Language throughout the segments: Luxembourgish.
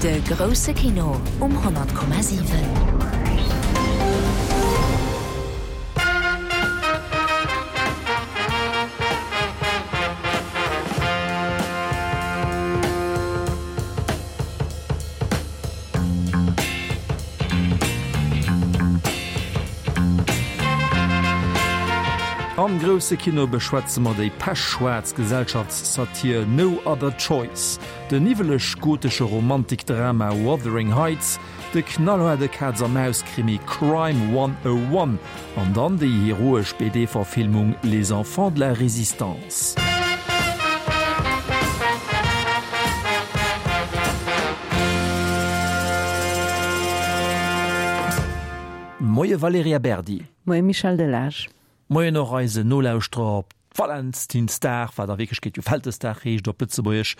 De grousse Kino um 100,7. Am grousse Kino beschwätze mer déi pechschwaarz Gesellschaftssatir No Other Choice, den niwweleg-gotesche Romantikdrama Wuthering Heights, de knallhaarde Kaz-a-Maus-Krimi Crime 101 an dann déi heroesch BD-Verfilmung Les Enfants de la Résistance. Moie Valerija Berdi. Moie Michel Delage. Moien och eisen Nolauschterer op Valentinsdag, wat a Wierklechkeet jo Vältesdag heescht op Lëtzebuergesch.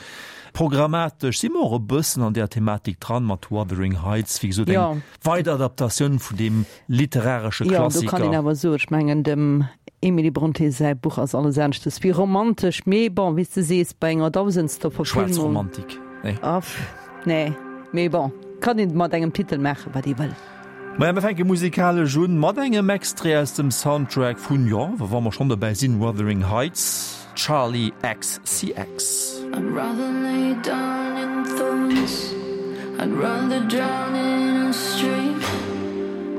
Programmatesch si mer och e bëssen an där Thematik dran mat Wuthering Heights, wéi gesot eng weider Adaptatioun vun deem literaresche Klassiker. Jo, do kann een awer soen, ech mengen dem Emily Brontë säi Buch ass alles aneschtes wéi romantesch, mee bon, wéi s de sees, bei enger dausendster Verfilmung. Schwaarz Romantik, nee. Aff, nee, mee bon, kann een mat engem Titel maachen, wat ee wëll. Maja, mir fänke musikalesch un mat engem Extrait aus dem Soundtrack vun, jo, wa mer schonn dobäi sinn, Wuthering Heights, Charli XCX. I'd rather lay down in thorns I'd rather drown in a stream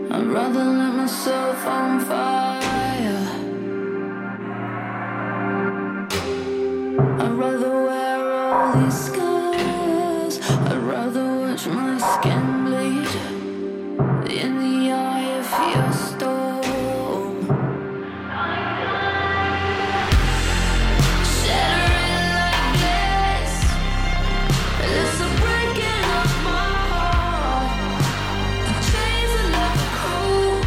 I'd rather light myself on fire I'd rather wear all these scars I'd rather watch my skin bleed In the eye of your storm Shattering like glass It's a breaking of my heart The chains are never cold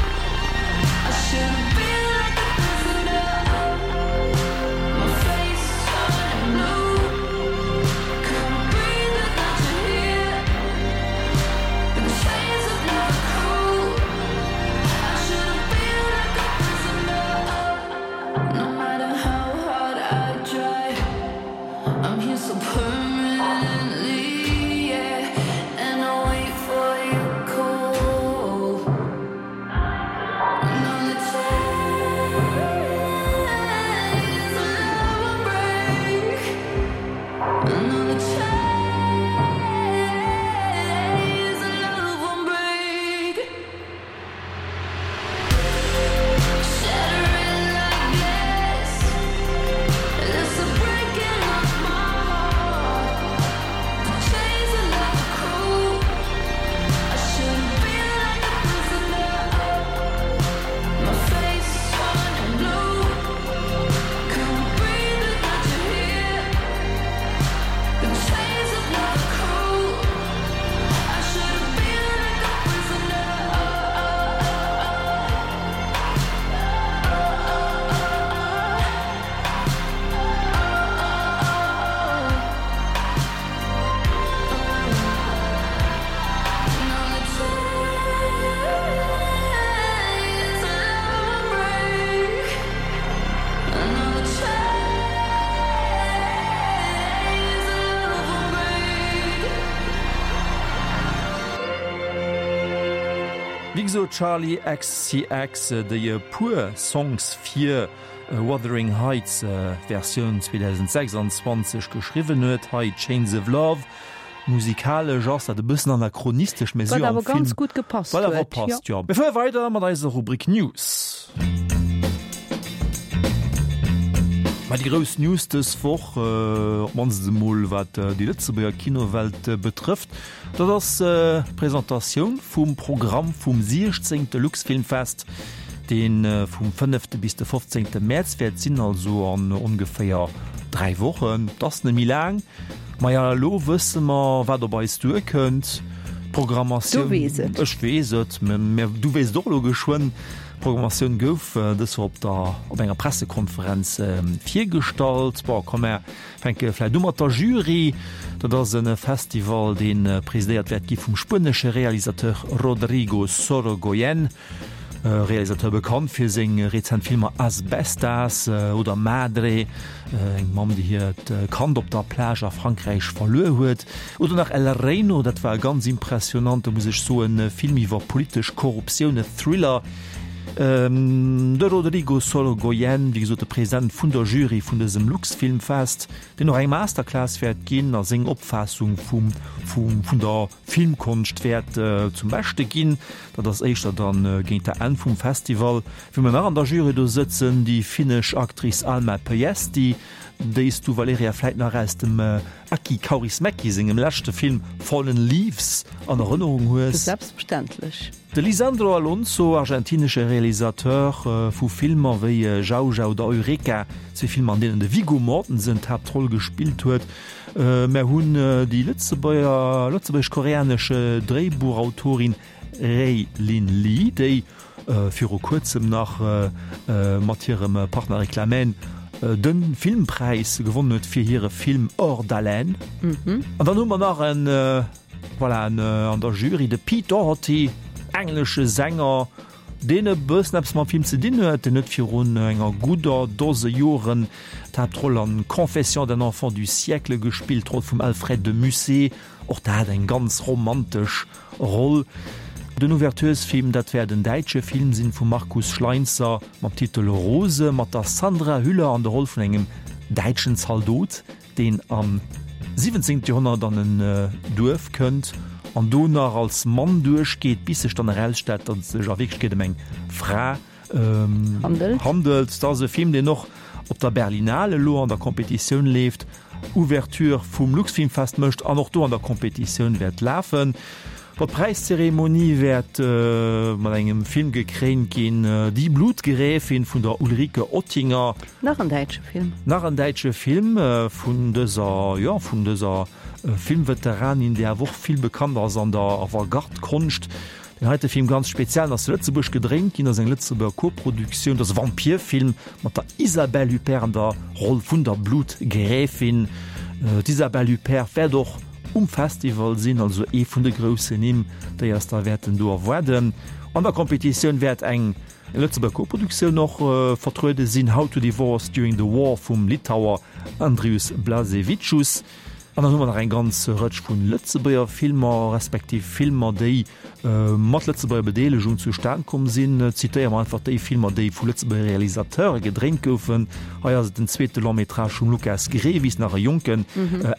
I shouldn't be like a prisoner My face turning blue Couldn't breathe without you here The chains are never cold I shouldn't be like a prisoner No matter how hard I try I'm here so permanently yeah And I wait for your call Another chains of love will break Another chains of love won't break Shattering like glass It's a breaking of my heart The chains are never cold I shouldn't be like a prisoner My face turning blue Couldn't breathe without you here The chains are never cold I shouldn't be like a prisoner Another chains of love will break Another chains of love will break. Wéi gesot, Charli XCX, déi e puer Songs fir Wuthering Heights, Versioun 2026, geschriwwen huet, hei Chains of Love. Musikalesch ass dat e bëssen anachronistesch, mä si Wat awer ganz gutt gepasst huet. Wat awer passt, jo. Mir fuere weider mat eiser Rubrik News. Mä déi grouss News dës Woch, op d'mannst emol wat déi Lëtzebuerger Kinowelt betrëfft, dat ass d'Presentatioun vum Programm vum 16. Luxfilmfest, dee vum fënnefte bis de fofzéngte Mäerz wäert sinn, also an ongeféier 3 Wochen. Et ass net méi laang. Maja, elo wësse mer, wat op eis duerkënnt. D'Programmatioun. Du weess et. Ech weess et, mä du weess et och elo geschwënn. D'Programmatioun gouf dës Woch op der, op enger Pressekonferenz virgestallt. Bon, komm, mer fänke vläicht u mat der Jury. Dat ass e Festival, dee presidéiert wäert gi vum spuenesche Realisateur Rodrigo Sorogoyen. Realisateur bekannt fir seng rezent Filmer As Bestas oder Madre, eng Mamm déi hiert Kand op der Plage a Frankräich verluer huet, oder nach El Reino, dat war e ganz impressionante, muss ech soen, Film iwwer politesch Korruptioun, e Thriller. De Rodrigo Sorogoyen, wéi gesot de President vun der Jury vun dësem Luxfilmfest, deen och eng Masterclass wäert ginn a seng Opfaassung vum vun der Filmkonscht wäert zum Beschte ginn. Dat ass éischter dann géint der Enn vum Festival. Wien mer nach an der Jury do sëtzen, déi finnesch Actrice Alma Pöysti, déi s du, Valerija, vläit nach aus dem Aki Kaurismäki sengem leschte Film Fallen Leaves an Erënnerung hues. Selbstverständlech. De Lisandro Alonso, argentinesche Realisateur vu Filmer wéi Jauja oder Eureka, zwee Filmer an deenen de Viggo Mortensen d'Haaptroll gespillt huet. Mär hunn déi Lëtzebuerger, lëtzebuergesch-koreanesch Dréibuchautorin Rae Lyn Lee, déi viru kuerzem nach mat hirem Partner Eric Lamhène de Filmpräis gewonnen huet fir hire Film Hors d'haleine. An dann hu mer nach en, voilà, en an der Jury, de Pete Doherty, englesche Sänger, deen e bëssen eppes mam Film ze dinn huet. Deen huet virun enger gudder Dose Joren d'Haaptroll an Confessions d'un enfant du siècle gespillt, d'Roll vum Alfred de Musset, och dat eng ganz romantesch Roll. Den Ouverturesfilm, dat wäert en däitsche Film sinn vum Markus Schleinzer mam Titel Rose mat der Sandra Hüller an der Roll vun engem däitschen Zaldot. deen am 17. Joerhonnert an en Duerf kënnt an do nach als Mann duerchgeet, bis sech dann erausstellt, datt et sech a Wierklechkeet ëm eng Fra handelt. Dat ass e Film, deen och op der Berlinale elo an der Competitioun leeft, Ouverture vum Luxfilmfest mécht an och do an der Competitioun wäert lafen. Bon, d'Präiszeremonie wäert mat engem Film gekréint ginn, Die Blutgräfin vun der Ulrike Ottinger. Nach en däitsche Film. Nach en däitsche Film vun dëser, jo, vun dëser Filmveteranin, déi awer och vill bekannt ass an der Avantgarde-Konscht. Deen heite Film ganz speziell, ass zu Lëtzebuerg gedréint ginn, ass eng Lëtzebuerger Koproduktioun, dat ass e Vampirfilm mat der Isabelle Huppert an der Roll vun der Blutgräfin. D'Isabelle Huppert wäert och um Festival sinn, also ee vun de groussen Nimm, déi eis da wäerten do erwaarden. An der Competitioun wäert eng Lëtzebuerger Koproduktioun och vertruede sinn, How to Divorce During the War vum Litauer Andrius Blasevicius. An dann hu mer nach eng ganz Rëtsch vu Lëtzebuerger Filmer, respektiv Filmer, déi mat Lëtzebuerger Bedeelegung zustan komm sinn. Zitéiere mer einfach déi Filmer, déi vu Lëtzebuerger Realisateure gedréint goufen. Hei ass et den zweete Long-métrage vum Lukas Grevis, nach e Jonken,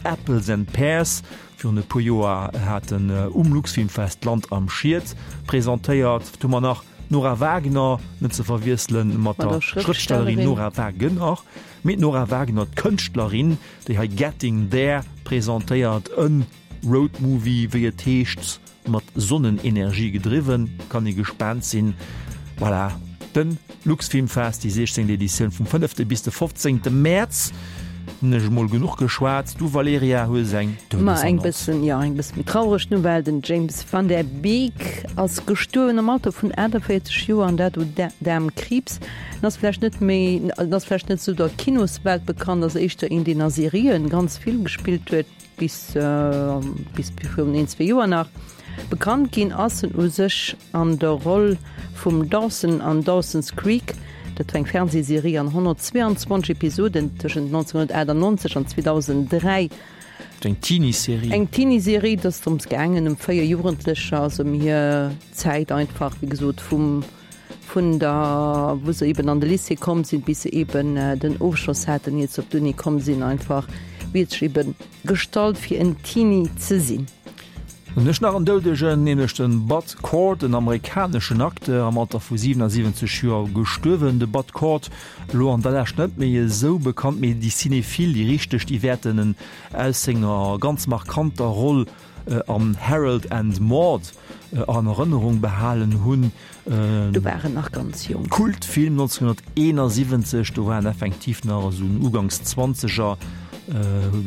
Apples and Pears. Virun e puer Joer hat en um Luxfilmfest Land am Schiet presentéiert. Do hu mer nach d'Nora Wagner, net ze verwiessele mat der Schrëftstellerin Nora Wagener, mee d'Nora Wagner, d'Kënschtlerin, déi hei Getting There presentéiert, e Roadmovie, wéi et heescht, mat Sonnenenergie gedriwwen. Kann ee gespaant sinn. Voilà, de Luxfilmfest, déi 16. Editioun vum fënnefte bis de 15. Mäerz. Hunn ech emol genuch geschwat. Du Valerija hues eng Ma eng bëssen, jo, eng bësse méi traureg Nouvelle, Den James Van Der Beek ass gestuerwen am Alter vun 48 Joer, an dat u Daarmkriibs. En ass vläicht net méi, en ass vläicht net esou der Kinoswelt bekannt, ass éischter een, deen a Serien ganz vill gespillt huet, bis bis virun een, zwee Joer nach. Bekannt ginn ass en u sech an der Roll vum Dawson an Dawson's Creek. Dat war eng Fernsehserie an 122 Episoden tëschent 1998 an 2003. Eng Teenie-Serie. Eng Teenie-Serie, et ass drëms gaangen, ëm 4 Jugendlecher, also ëm hir Zäit einfach, wéi gesot, vum vun der, wou se eben an de Lycée komm sinn, bis se eben den Ofschloss haten, iert se op d'Uni komm sinn, einfach wéi et sech eben gestallt fir en Teenie ze sinn. Dann hunn ech nach en Doudegen, nämlech de Bud Cort, en amerikaneschen Acteur, am Alter vu 77 Joer gestuerwen. De Bud Cort, elo an der Lescht net méi esou bekannt, mee déi Cinéphile, déi richteg, déi wäerten en aus senger ganz markanter Roll an Harold and Maude an Erënnerung behalen hunn. Do war en nach ganz jonk. Kultfilm 1971, do war en effektiv nach esou en Uganks Zwanzeger,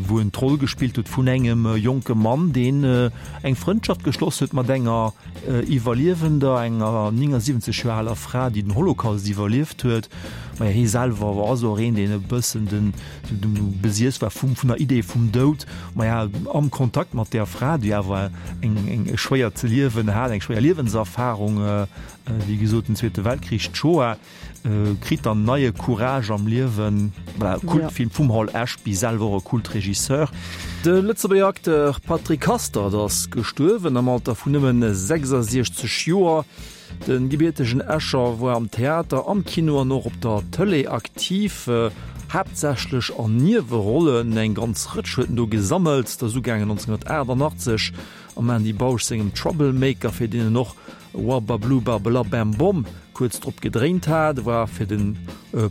wou en d'Roll gespillt huet vun engem jonke Mann, deen eng Frëndschaft geschloss huet mat enger Iwwerliewender, enger 79 Joer aler Fra, déi den Holocaust iwwerlieft huet. Maja hie selwer war ass och een, deen e bëssen den besiess war vum vun der Idee vum Doud. Maja am Kontakt mat där Fra, déi awer eng eng e schwéiert Liewen hat, eng schwéier Liewenserfarung, wéi gesot den Zweete Weltkrich, d'Shoah, kritt dann neie Courage am Liewen. Voilà, e Kultfilm vum Hal Ashby, selwer och e Kultregisseur. De Lëtzebuerger Acteur Patrick Hastert ass gestuerwen am Alter vun nëmmen 66 Joer. De gebiertegen Escher war am Theater, am Kino an och op der Tëlee aktiv, haaptsächlech an Niewerollen. Eng ganz Rëtsch huet en do gesammelt. Dat ass ugaangen 1988 am Andy Bausch sengem Troublemaker, fir deen en och Wabablu-Babela-Bam-Bom kuerz drop gedréint hat. E war fir de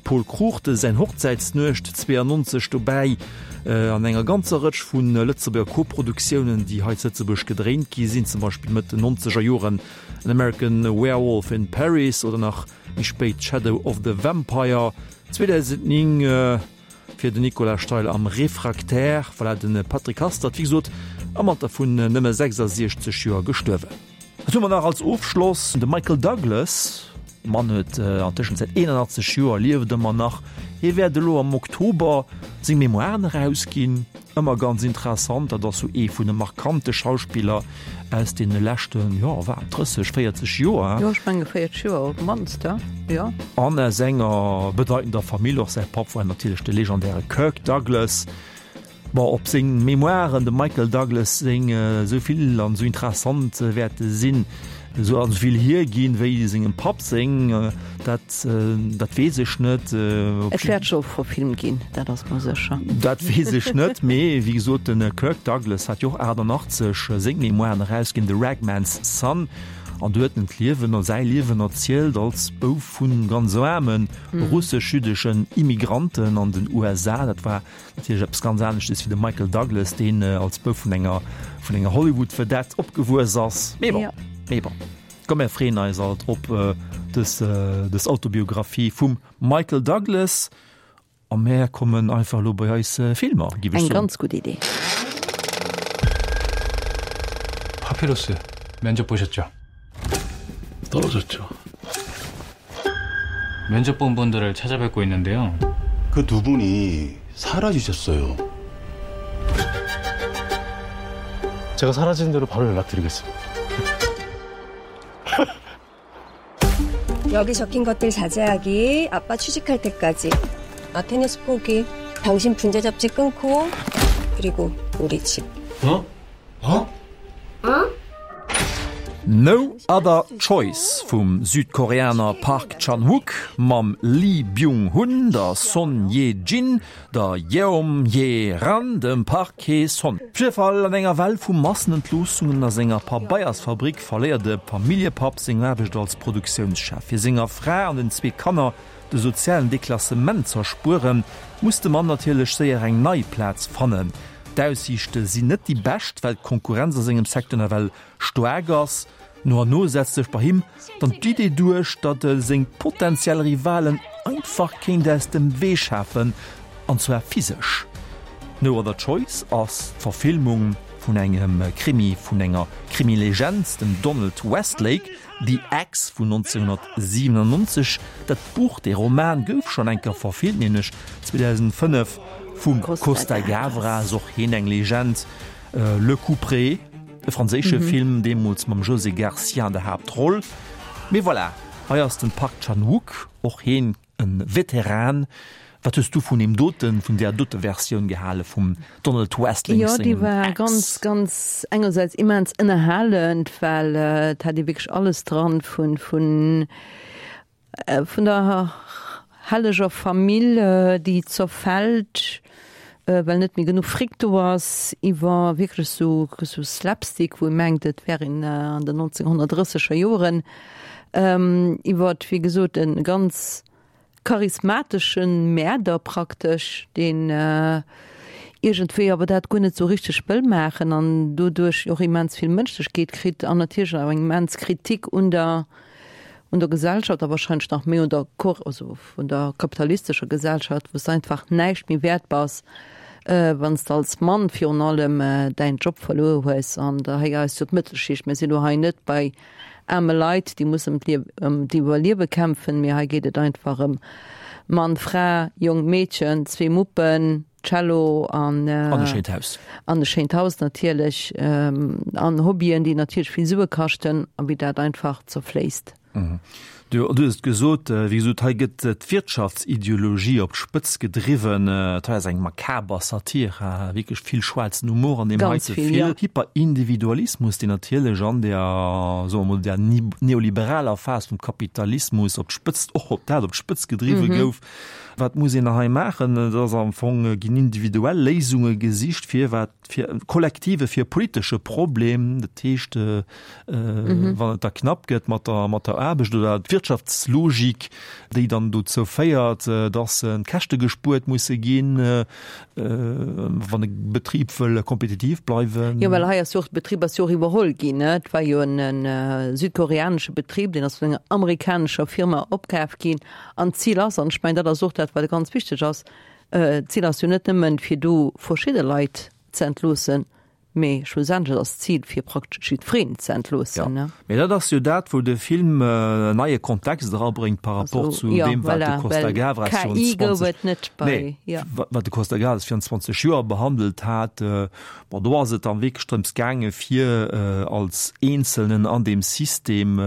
Pol Cruchten säin Hochzäitsnuecht 92 dobäi an enger ganzer Rëtsch vu Lëtzebuerger Koproduktiounen, déi hei zu Lëtzebuerg gedréint gi sinn, zum Beispill Mëtt den nonzeger Joren An American Werewolf in Paris oder nach méi spéit Shadow of the Vampire 2009 fir den Nicolas Steil am Réfractaire. Voilà, de Patrick Hastert, wéi gesot, am Alter vun nëmme 66 Joer gestuerwen. Wat hu mer nach als Ofschloss? De Michael Douglas, de Mann huet an Tëschenzäit 81 Joer, lieft ëmmer nach. Hie wäert elo am Oktober seng Memoiren erausginn. Ëmmer ganz interessant, dat ass sou ee vun de markante Schauspiller aus deene leschten, jo, wat, 30, 40 Joer. Jo, ech menge 40 Joer op d'mannst, jo. An aus enger bedeitender Famill, och säi Papp war natierlech de legendäre Kirk Douglas. Bon, ob seng Memoiren, dem Michael Douglas seng, esou vill an esou interessant wäerte sinn, esou an esou vill hierginn, wéi sengem Papp seng, dat, dat weess ech net. Et wäert scho verfilmt ginn, dat ass mer sécher. Dat weess ech net, mee wéi gesot, de Kirk Douglas hat jo och 88 seng Memoiren erausginn, The Ragman's Son, an do huet en d'Liewen, säi Liewen erzielt als Bouf vu ganz aarme russesch-jüddeschen Immigranten an den USA. Dat war Natierlech eppes ganz aneschtes wéi de Michael Douglas, deen als Bouf vun enger vun enger Hollywood-Vedette opgewuess ass. Mee bon, mee bon. Komm mär freeën eis alt op dës dës Autobiographie vum Michael Douglas a mär kommen einfach elo bei eis Filmer, giff ech soen. Eng ganz gutt Idee. 파피루스 면접 보셨죠? 떨어졌죠. 면접 본 분들을 찾아뵙고 있는데요. 그 두 분이 사라지셨어요. 제가 사라진 대로 바로 연락드리겠습니다. 여기 적힌 것들 자제하기, 아빠 취직할 때까지, 아 테니스 포기, 당신 분재 잡지 끊고, 그리고 우리 집. 어? 어? 응? No Other Choice vum Südkoreaner Park Chan-wook mam Lee Byung-hun, der Son Ye-jin, der Yeom Hye-ran, dem Park Hae-son. Op jidde Fall, an enger Well vu Massenentloossungen a senger Pabeiersfabrik verléiert de Familljepapp seng Aarbecht als Produktiounschef. Fir senger Fra an den zwee Kanner de sozialen Deklassement z'erspueren, muss de Mann natierlech séier eng nei Plaz fannen. D'Aussiichte sinn net déi bescht, well d'Konkurrenz a sengem Secteur nawell staark ass. No an no setzt sech bei him dann d'Idee duerch, datt e seng potentiell Rivalen einfach kéint aus dem Wee schafen, an zwar physesch. No Other Choice ass d'Verfilmung vun engem Krimi vun enger Krimilegend, dem Donald Westlake. The Ex vun 1997, dat Buch, dee Roman gouf schonn eng Kéier verfilmt, nämlech 2005 vum Costa Gavras, och hien eng Legend. Le Couperet, e franséische Film, deemools mam José Garcia an der Haaptroll. Mee voilà, hei ass den Park Chan-wook, och hien E Veteran. Wat hues du vun deem doten, vun där dote Versioun gehale vum Donald Westlake Jo, déi sengem war Ex? ganz, ganz engersäits immens ënnerhalend, well et hat ee wierklech alles dran, vun, vun, vun der helleger Famill, déi zerfält, well net méi genuch Fric do ass, iwwer wierklech sou, sou Slapstick, wou ee mengt, et wär een an den 1930er Joren. Iwwert, wéi gesot, e ganz charismatesche Mäerder praktesch, deen iergendwéi awer dat guer net sou richteg wëll maachen an doduerch och immens vill Mënschlechkeet kritt an natierlech awer eng immens Kritik un der, un der Gesellschaft a wahrscheinlech nach méi un der, also vun der kapitalistescher Gesellschaft, wou s de einfach näischt méi wäert bass, wann s de als Mann virun allem däin Job verluer hues. An hei ass jo d'Mëttelschicht, mir sinn elo hei net bei aarme Leit, déi mussen ëm d'Iwwerliewe kämpfen, mee hei geet et einfach ëm. Mann, Fra, Jong, Meedchen, zwee Muppen, Cello an An e schéint Haus. An e schéint Haus natierlech. An Hobbyen, déi natierlech vill Sue kaschten a wéi dat einfach zerfléisst. Du hues et gesot, wéi gesot, hei gëtt d'Wirtschaftsideologie op d'Spëtz gedriwwen. Et hei ass eng makaber Satir, wierklech vill schwaarzen Humor an deem heite Film. Hyperindividualismus, deen natierlech an der, soe mer mol, der neoliberaler Phas vum Kapitalismus op d'Spëtzt, och op dat op d'Spëtz gedriwwe gouf. Wat muss een hei maachen? Et ass am Fong, ginn individuell Léisunge gesicht, fir wat fir e kollektive, fir e politesche Problem, dat heescht, wann et da knapp gëtt mat der, mat der Aarbecht oder d'Wirtschaftslogik, déi dann dozou féiert, dass Käschte gespuert musse ginn, wann e Betrib wëll kompetitiv bleiwen. Jo, well hei ass jo och, de Betrib ass jo och iwwerholl ginn, ne? Et war jo en südkoreanesche Betrib, deen ass vun enger amerikanescher Firma opkaf ginn. An d'Zil ass, an ech mengen, dat ass och dat, wat ganz wichteg ass, D'Zil ass jo net nëmmen, fir do verschidde Leit ze entloossen, mee schlussendlech ass d'Zil, fir praktesch jiddwereen ze entloossen. Jo, mee dat ass jo dat, wou de Film en neie Kontext erabréngt par rapport zu deem, wat de Costa-Gavras virun 20, nee, wat de Costa-Gavras virun 20 Joer behandelt hat. Bon, do ass et dann wierklech drëms gaange fir als Eenzelnen an deem System,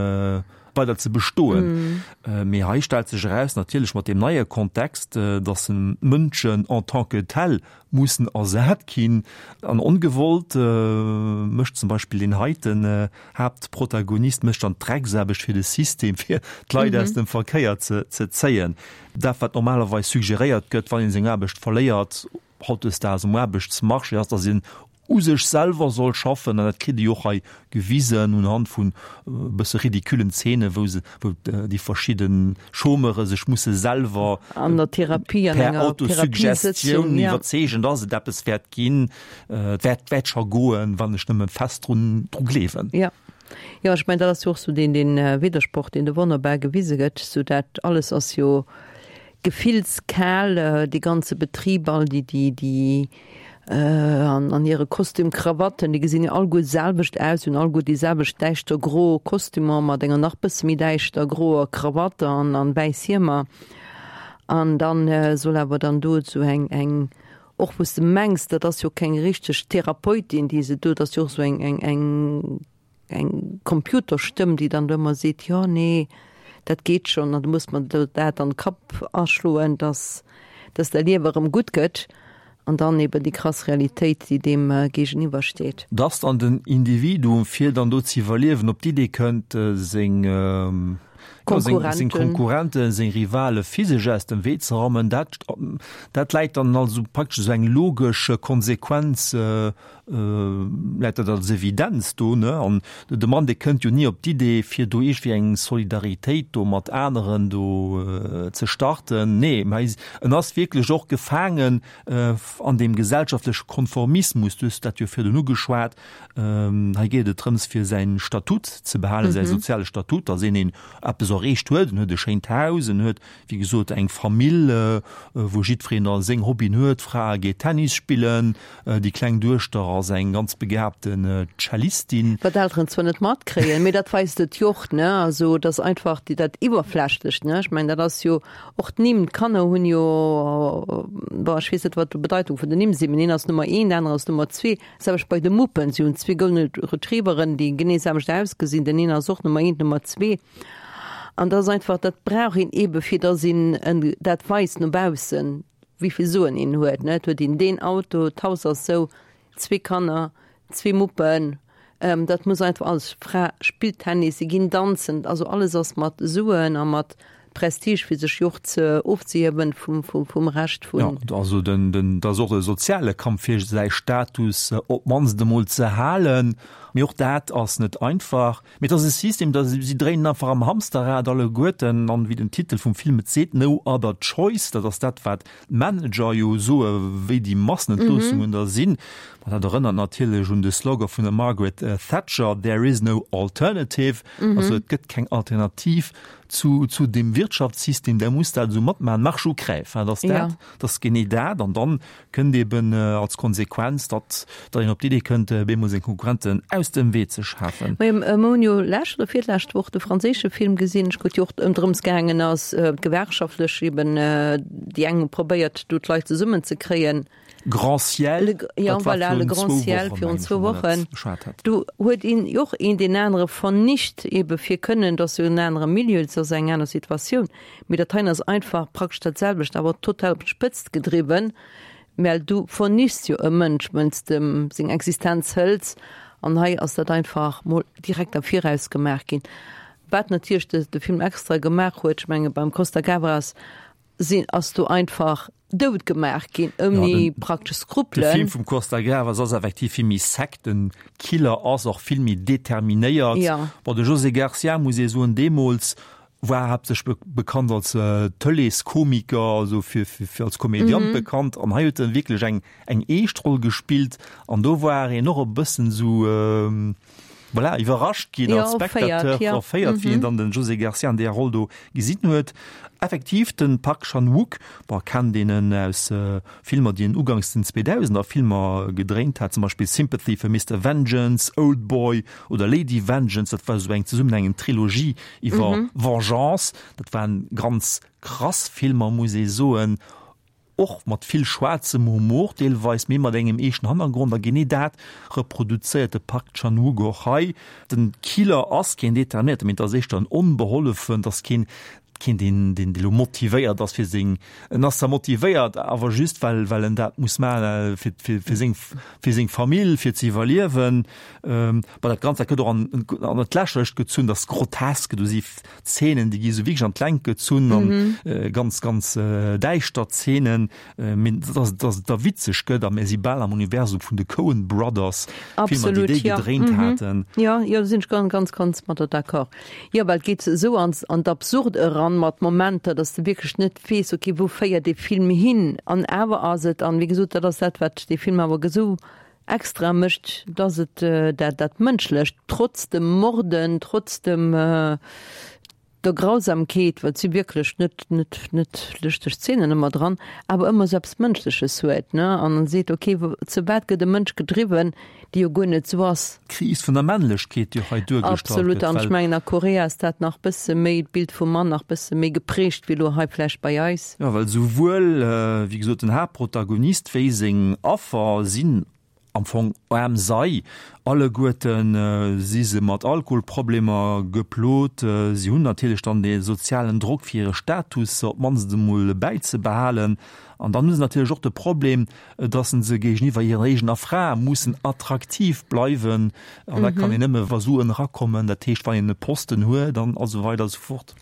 weider ze bestoen. Mee hei stellt sech eraus, natierlech mat deem neie Kontext, datt d'Mënschen en tant que tels mussen ersat ginn. An ongewollt mécht zum Beispill deen heiten Haaptprotagonist mécht dann d'Drecksaarbecht fir de System, fir d'Leit aus dem Verkéier ze zéien. Dat, wat normalerweis suggeréiert gëtt, wann ee seng Aarbecht verléiert, hautdesdaags um Aarbechtsmarché ass, datt een u sech selwer soll schaffen, an dat kritt ee jo och hei gewisen unhand vun e bësse ridiculen Zeenen, wou se, wou déi verschidde Chômeure sech musse selwer An der Therapie, an per enger Autosuggestion Therapiesëtzung, ja. iwwerzeegen, datt et eppes wäert ginn, et wäert, wäert scho goen, wann ech nëmme fest drun, dru gleewen. Ja. Jo, ech mengen, dat ass jo och sou deen, deen Widdersproch, deen do wonnerbar gewise gëtt, sou dat alles ass jo Gefillskal, dee ganze Betrib, all déi, déi, déi an, an hire Kostüm, Krawatten, déi gesinn jo alleguer d'selwecht aus, hunn alleguer déi selwecht däischter gro Kostümer mat enger nach bësse méi däischter groer Krawatt an, an wäiss Hiemer. An dann soll awer dann do esou eng, eng, och wou s de mengs, dat ass jo keng richteg Therapeutin, déi se do, dat ass jo och esou eng, eng, eng, eng Computerstëmm, déi dann do ëmmer seet, jo, nee, dat geet schonn an du muss mer do dat an de Kapp aschloen, dass, dass däi Liewe erëm gutt gëtt an dann eben déi krass Realitéit, déi deem géigeniwwer steet. Dass dann den Individuum, fir dann do ze iwwerliewen, op d'Idee kënnt, seng, jo, seng, seng Konkurrenten, seng Rivale physesch aus dem Wee ze rammen, dat, dat läit dann also praktesch esou eng logesch Konsequenz läit dat als Evidenz do, ne? An de Mann, dee kënnt jo ni op d'Idee, fir do iergendwéi eng Solidaritéit do mat aneren do ze starten. Nee, mä en ass wierklech och gefaangen an deem gesellschaftleche Konformismus. Du hues dat jo virdrun ugeschwat. Hei geet et drëms, fir säi Statut ze behalen, säi soziale Statut, datt een een eppes erreecht huet. En huet e schéint Haus, en huet Wéi gesot, eng Famill, wou jiddwereen da seng Hobbyen huet. D'Fra geet Tennis spillen, déi kleng Duechter ass eng ganz begabten Cellistin. Wat d'Elteren zwar net matkréien, mee dat weist et jo och, ne? Also, et ass einfach déi, dat Iwwerflächlecht, ne? Ech mengen, dat ass jo och d'Nimm. D'Kanner hunn jo, bon, ech weess net, wat d'Bedeitung vun den Nimm sinn, mee deen ass Nummer een, deen anere ass Nummer zwee. Selwecht bei de Muppen, si hunn zwee Golden Retrieveren, déi genee selwecht ausgesinn, den een ass och Nummer eent, Nummer zwee. An dat ass einfach, dat brauch een eebe fir datt een dat weist no baussen, wéi vill Suen een huet. Et huet een deen Auto, d'Haus ass sou, zwee Kanner, zwee Muppen, dat muss einfach alles, d'Fra spillt Tennis, si ginn danzen, also alles ass mat Suen a mat Prestige fir sech jo och ze ofzehiewen vum, vum, vum Rescht vun. Jo, also den, den, dat ass och e soziale Kampf fir säi Status op d'mannst emol ze halen, mee och dat ass net einfach. Mee et ass e System, da si dréinen einfach am Hamsterrad alleguerten an wéi den Titel vum Film et seet, No other choice, dat ass dat wat d'Manager jo soe wéi déi Massenentloossungen da sinn. Ma dat erënnert natierlech un de Slogan vun der Margaret Thatcher, There is no alternative, also et gëtt keng Alternativ zu zu deem Wirtschaftssystem, der muss dat esou matmaachen, marche ou crève, dat ass dat, dat ass genee dat. An dann kënnt eben als Konsequenz, datt datt een op d'Idee kënnt, bemol seng Konkurrenten aus. aus dem Wee ze schafen. Mir hunn jo lescht oder virlescht Woch de franséische Film gesinn, wou et jo och ëm drëms gaangen ass, gewerkschaftlech eben déi eng hu probéiert, do d'Leit zesummenzekréien. Grand Ciel, ja, voilà, Le Grand Ciel virun zwou Wochen. Do huet een och een deen anere vernicht, ebe fir kënnen, dass jo en anere Milieu, et ass eng aner Situatioun. Mee dat heien ass einfach praktesch dat selwecht, awer total op d'Spëtzt gedriwwen. Well du vernichts jo e Mënsch, wënn s de em seng Existenz hëls. An hei ass dat einfach mol direkt am Viraus gemaach ginn. Wat natierlech de de Film extra gemaach huet, ech menge beim Costa Gavras sinn, ass do einfach dout gemaach ginn, ouni praktesch Skrupelen. De Film vum Costa Gavras ass effektiv vill méi sec, den Killer ass och vill méi determinéiert. Bon, de José Garcia, muss ee soen, deemools war haaptsächlech bekannt als Tëleeskomiker, also fir fir als Komediant bekannt an hei huet en wierklech eng eng eescht Roll gespillt an do war een och e bëssen esou voilà iwwerrascht ginn als Spectateur, erféiert, wéi een dann den José Garcia an deeër Roll do gesinn huet. Effektiv den Park Chan-wook, bon kennt een en aus Filmer déi en ugangs den 2000er Filmer gedréint hat, zum Beispill Sympathy for Mister Vengeance, Oldboy oder Lady Vengeance, dat war esou eng zesummenhängend Trilogie iwwer Vengeance. Dat waren ganz krass Filmer, muss ee soen, och mat vill schwaarzem Humor deelweis, mee mat engem eeschten Hannergrond. A genee dat reproduzéiert de Park Chan-wook och hei. Den Killer ass keen Determinéierten, mee et ass éischter en Onbehollefen, et ass keen, keen deen, deen elo motivéiert ass fir seng, en ass zwar motivéiert, awer just well, well en dat muss maachen, fir, fir, fir seng, fir seng Famill, fir ze iwwerliewen. Bon, dat Ganzt, dat gëtt och an, an d'Lächerlecht gezunn, dat ass grotesk, do si Zeenen, déi gi sou wierklech an d'Längt gezunn an ganz, ganz däischter Zeenen, mee dass, dass et da witzeg gëtt a mir si bal am Universum vun de Coen Brothers, Filmer, déi déi gedréint haten. Jo, jo, do sinn ech ganz, ganz, ganz mat der d'accord. Jo, well et geet esou an, an d'Absurd eran mat Momenter, dass de wierklech net weess, okay, wou féiert dee Film hin? An awer ass et, an wéi gesot, dat ass dat, wat dee Film awer esou extra mécht, dass et dat, dat Mënschlecht, trotz dem Morden, trotz dem, der Grausamkeet, well et si wierklech net, net, net lëschteg Zeenen ëmmer dran, awer ëmmer esou eppes Mënschleches huet, ne, an seet, ok, zu wat gëtt e Mënsch gedriwwen, dee jo guer net esou ass. D'Kris vun der Männlechkeet, déi och hei duergestallt gëtt. Absolut, an ech mengen a Korea ass dat nach bësse méi, d'Bild vum Mann nach bësse méi geprägt wéi elo hei vläicht bei eis. Jo, well souwuel, wéi gesot, den Haaptprotagonist wéi seng Affer sinn am Fong aarm Sei. Alleguerte si se mat Alkoholproblemer geplot. Si hunn natierlech dann dee sozialen Drock, fir hire Status op d'mannst emol bäizebehalen. An dann hu se natierlech och de Problem, dass se géigeniwwer hirer eegener Fra mussen attraktiv bleiwen. An dat kann een nëmme wa Suen erakommen, dat heescht wann een e Posten huet an esou weider a sou fort.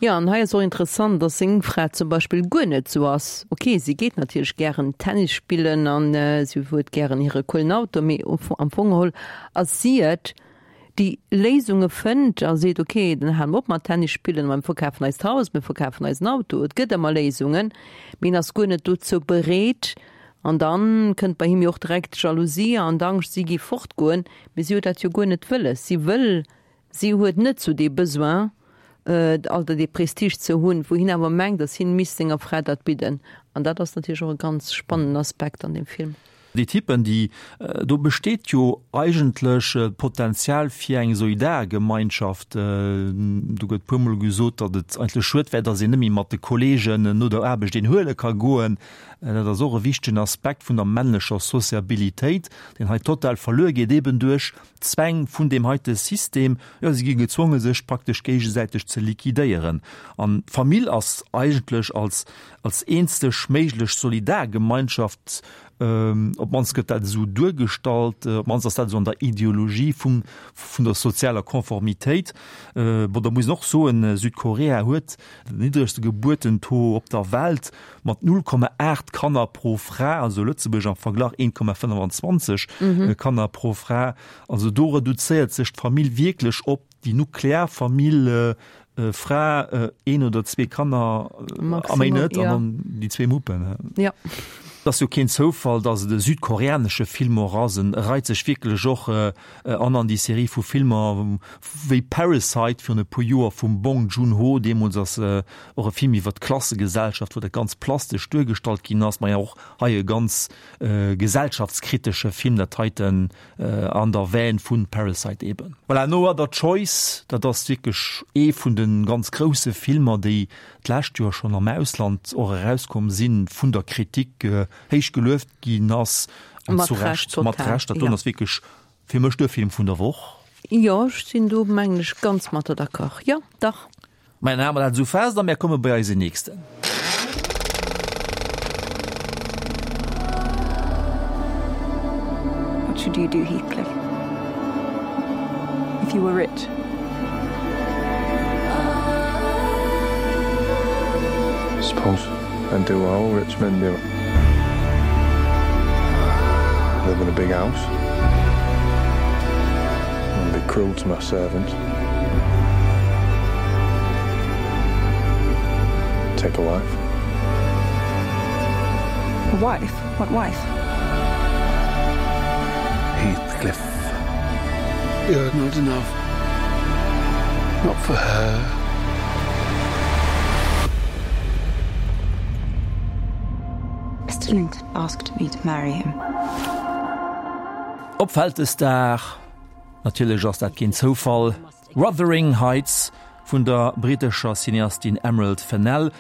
Jo, an hei ass och interessant, dass seng Fra zum Beispill guer net sou ass. Ok, si geet natierlech gären Tennis spillen an si huet gären hire coolen Auto, mee am Fong geholl ass si et, déi Léisunge fënnt a seet, ok, dann hale mer op mat Tennis spillen, mä mir verkafen eist Haus, mir verkafen eisen Auto. Et gëtt ëmmer Léisungen, mee en ass guer net dozou bereet. An dann kënnt bei him jo och direkt d'Jalousie an d'Angscht, si géif fortgoen, mee si huet dat jo guer net wëlles. Si wëll Si huet net sou dee Besoin, oder dee Prestige ze hunn, wou hien awer mengt, datt hien misst senger Fra dat bidden. An dat ass natierlech och e ganz spannenden Aspekt an deem Film. Déi Typen, déi, do besteet jo eigentlech d'Potenzial fir eng Solidargemeinschaft. Do gëtt puermol gesot, datt et eigentlech schued wär, datt een net méi mat de Kolleegen no der Aarbecht een huele ka goen. Dat ass och e wichtegen Aspekt vun der männlecher Sociabilitéit, deen hei total verluer geet, eben duerch D'Zwäng vun deem heite System, jo, si gi gezwonge sech praktesch géigesäiteg ze liquidéieren. An d'Famill ass eigentlech als, als eenzeg méiglech Solidargemeinschaft, op d'mannst gëtt dat esou duergestallt, op d'mannst ass dat esou an der Ideologie vum, vun der sozialer Konformitéit. Bon, da muss een och soen, Südkorea huet den niddregste Gebuertentaux op der Welt mat 0,8 Kanner pro Fra, also Lëtzebuerg am Verglach 1,25 Kanner pro Fra. Also do reduzéiert sech d'Famill wierklech op déi nuklear Famill, Fra, een oder zwee Kanner a méi net, an dann déi zwee Muppen. Jo. Et ass jo keen Zoufall, datt et e südkoreanesche Film och ass. En reit sech wierklech och an an déi Serie vu Filmer wéi Parasite virun e puer Joer vum Bong Joon-ho. Deemools ass och e Film iwwer d'Klassegesellschaft, wou dat ganz plastesch duergestallt ginn ass. Maja och hei e ganz gesellschaftskritesche Film, dat heiten an der Veine vu Parasite eben. Voilà, No Other Choice, dat ass wierklech ee vun de ganz grousse Filmer, déi d'lescht Joer schonn am Ausland och erauskomm sinn, vun der Kritik héich gelueft ginn ass, an zu Recht, mat Recht. Dat doen ass wierklech fir mech de Film vun der Woch. Jo, ech sinn do, mengen ech, ganz mat der d'accord. Jo, dach. Mä dann hale mer dat esou fest a mär komme bei eise nächsten. What should you do, Heathcliff, if you were rich? Suppose I'd do what all rich men do. Live in a big house. And be cruel to my servants. Take a wife. A wife? What wife? Heathcliff. You're not enough. Not for her. Mr. Linton asked me to marry him. Op Vältesdag, natierlech ass dat keen Zoufall, Wuthering Heights vun der brittescher Cineastin Emerald Fennell,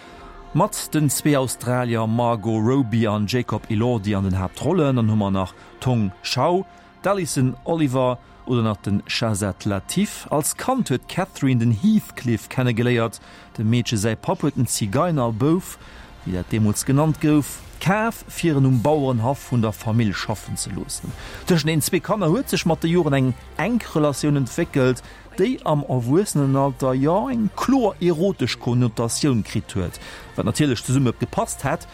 mat den zwee Australier Margot Robbie an Jacob Elordi an den Haaptrollen. Dann hu mer nach d'Hong Chau, D'Alison Oliver oder nach de Shahzad Latif. Als Kand huet d'Catherine den Heathcliff kennegeléiert. Dem Meedche säi Papp huet en Zigeinerbouf, wéi dat deemools genannt gouf, kaf, fir en um Bauerenhaff vun der Famill schaffen ze loossen. Tëschent den zwee Kanner huet sech mat de Joren eng enk Relatioun entwéckelt, déi am Erwuessenenalter jo eng kloer erotesch Konnotatioun kritt huet, wat natierlech zesumme gepasst hätt,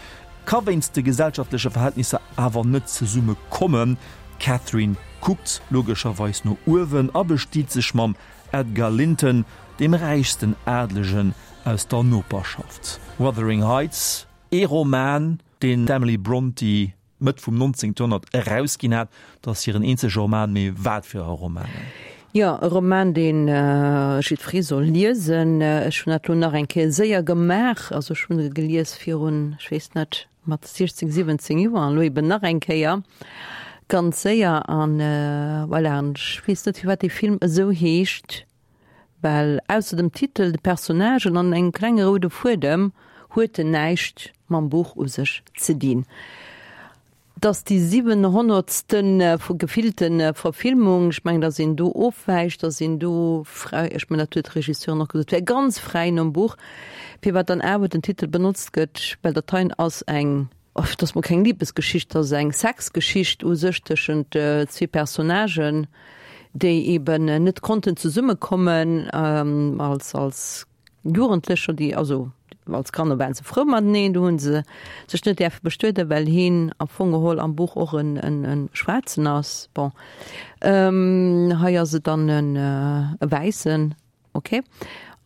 ka wéinst de gesellschaftleche Verhältnisser awer net zesumme kommen. D'Catherine kuckt logescherweis no uewen a bestiet sech mam Edgar Linton, deem räichsten Adlegen aus der Noperschaft. Wuthering Heights, ee Roman, deen d'Emily Brontë Mëtt vum 19. Joerhonnert erausginn hat, dat ass hiren eenzege Roman, mee wat fir e Roman! Jo, e Roman, dee jiddweree soll liesen. Ech hunn dat elo nach eng Kéier séier gemaach, also ech hunn e gelies virun, ech weess net, mat 16, 17 Joer an elo eben nach eng Kéier ganz séier an voilà. An ech weess net, firwat dee Film esou heescht, well ausser dem Titel, de Personnagen an engem klenge roude Fuedem huet en näischt mam Buch u sech ze dinn. Et ass déi siwenhonnertste gefillte Verfilmung. Ech mengen, datt een do ofwäicht, datt een do fräi, ech mengen, dat huet d'Regisseurin och gesot, wär ganz fräi nom Buch, firwat dann awer den Titel benotzt gëtt, well dat heien ass eng, et ass mol keng Libesgeschicht, et ass eng Sexgeschicht u sech tëschent zwee Personnagen, déi eben net konnten zesummekommen als, als Jugendlecher, déi also als Kanner waren se frou mateneen, do hunn se sech net däerfe bestueden, well hien am Fong geholl am Buch och en, en, en Schwaarzen ass. Bon, hei ass et dann en e Wäissen, okay.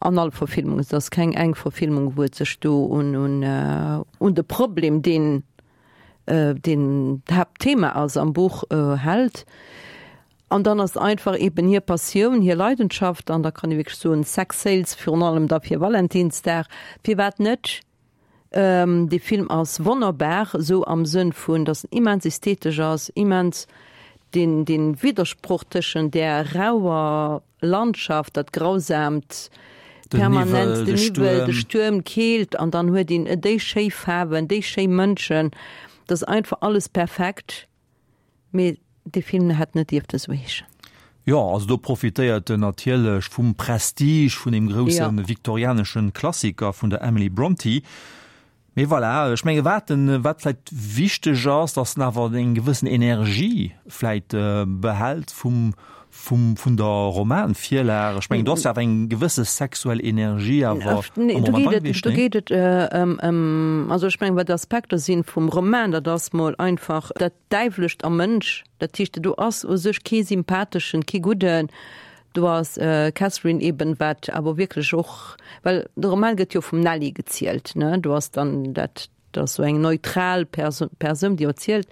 An all Verfilmung, et ass keng eng Verfilmung, wou et sech do un, un, un de Problem, deen, deen d'Haaptthema ass am Buch, hält. An dann ass einfach eben hir Passioun, hir Leidenschaft, an da kann ee wierklech soen, Sex sells, virun allem da fir Valentinsdag, firwat net? Dee Film ass wonnerbar, esou am Sënn vun, datt en immens ästhetesch ass, immens deen, dee Widdersproch tëschent där rauer Landschaft, dat Grausaamt, permanent, den Niwwel, de Stuerm, d'Keelt, an dann huet een déi schéi Faarwen, déi schéi Mënschen, dat ass einfach alles perfekt. Mee dee Film hätt net dierften esou heeschen. Jo, also do profitéiert en natierlech vum Prestige vun deem grousse viktorianesche Klassiker vun der Emily Brontë. Mee voilà, ech menge wat en, wat vläit wichteg ass, datt en awer eng gewëssen Energie vläit behält vum, vum, vun der Romanvirlag. Ech mengen, do ass jo awer eng gewësse sexuell Energie awer am Roman dra gewiescht, nee? Do geet et ëm, ëm, also ech mengen, wat d'Aspekter sinn vum Roman, dat ass mol einfach dat Däiwlescht am Mënsch. Dat heescht, do ass u sech kee sympatheschen, kee gudden. Do ass d'Catherine eben, wat awer wierklech och, well de Roman gëtt jo vum Nelly gezielt, ne, do ass dann dat. Dat ass esou eng neutral Persoun, déi erzielt,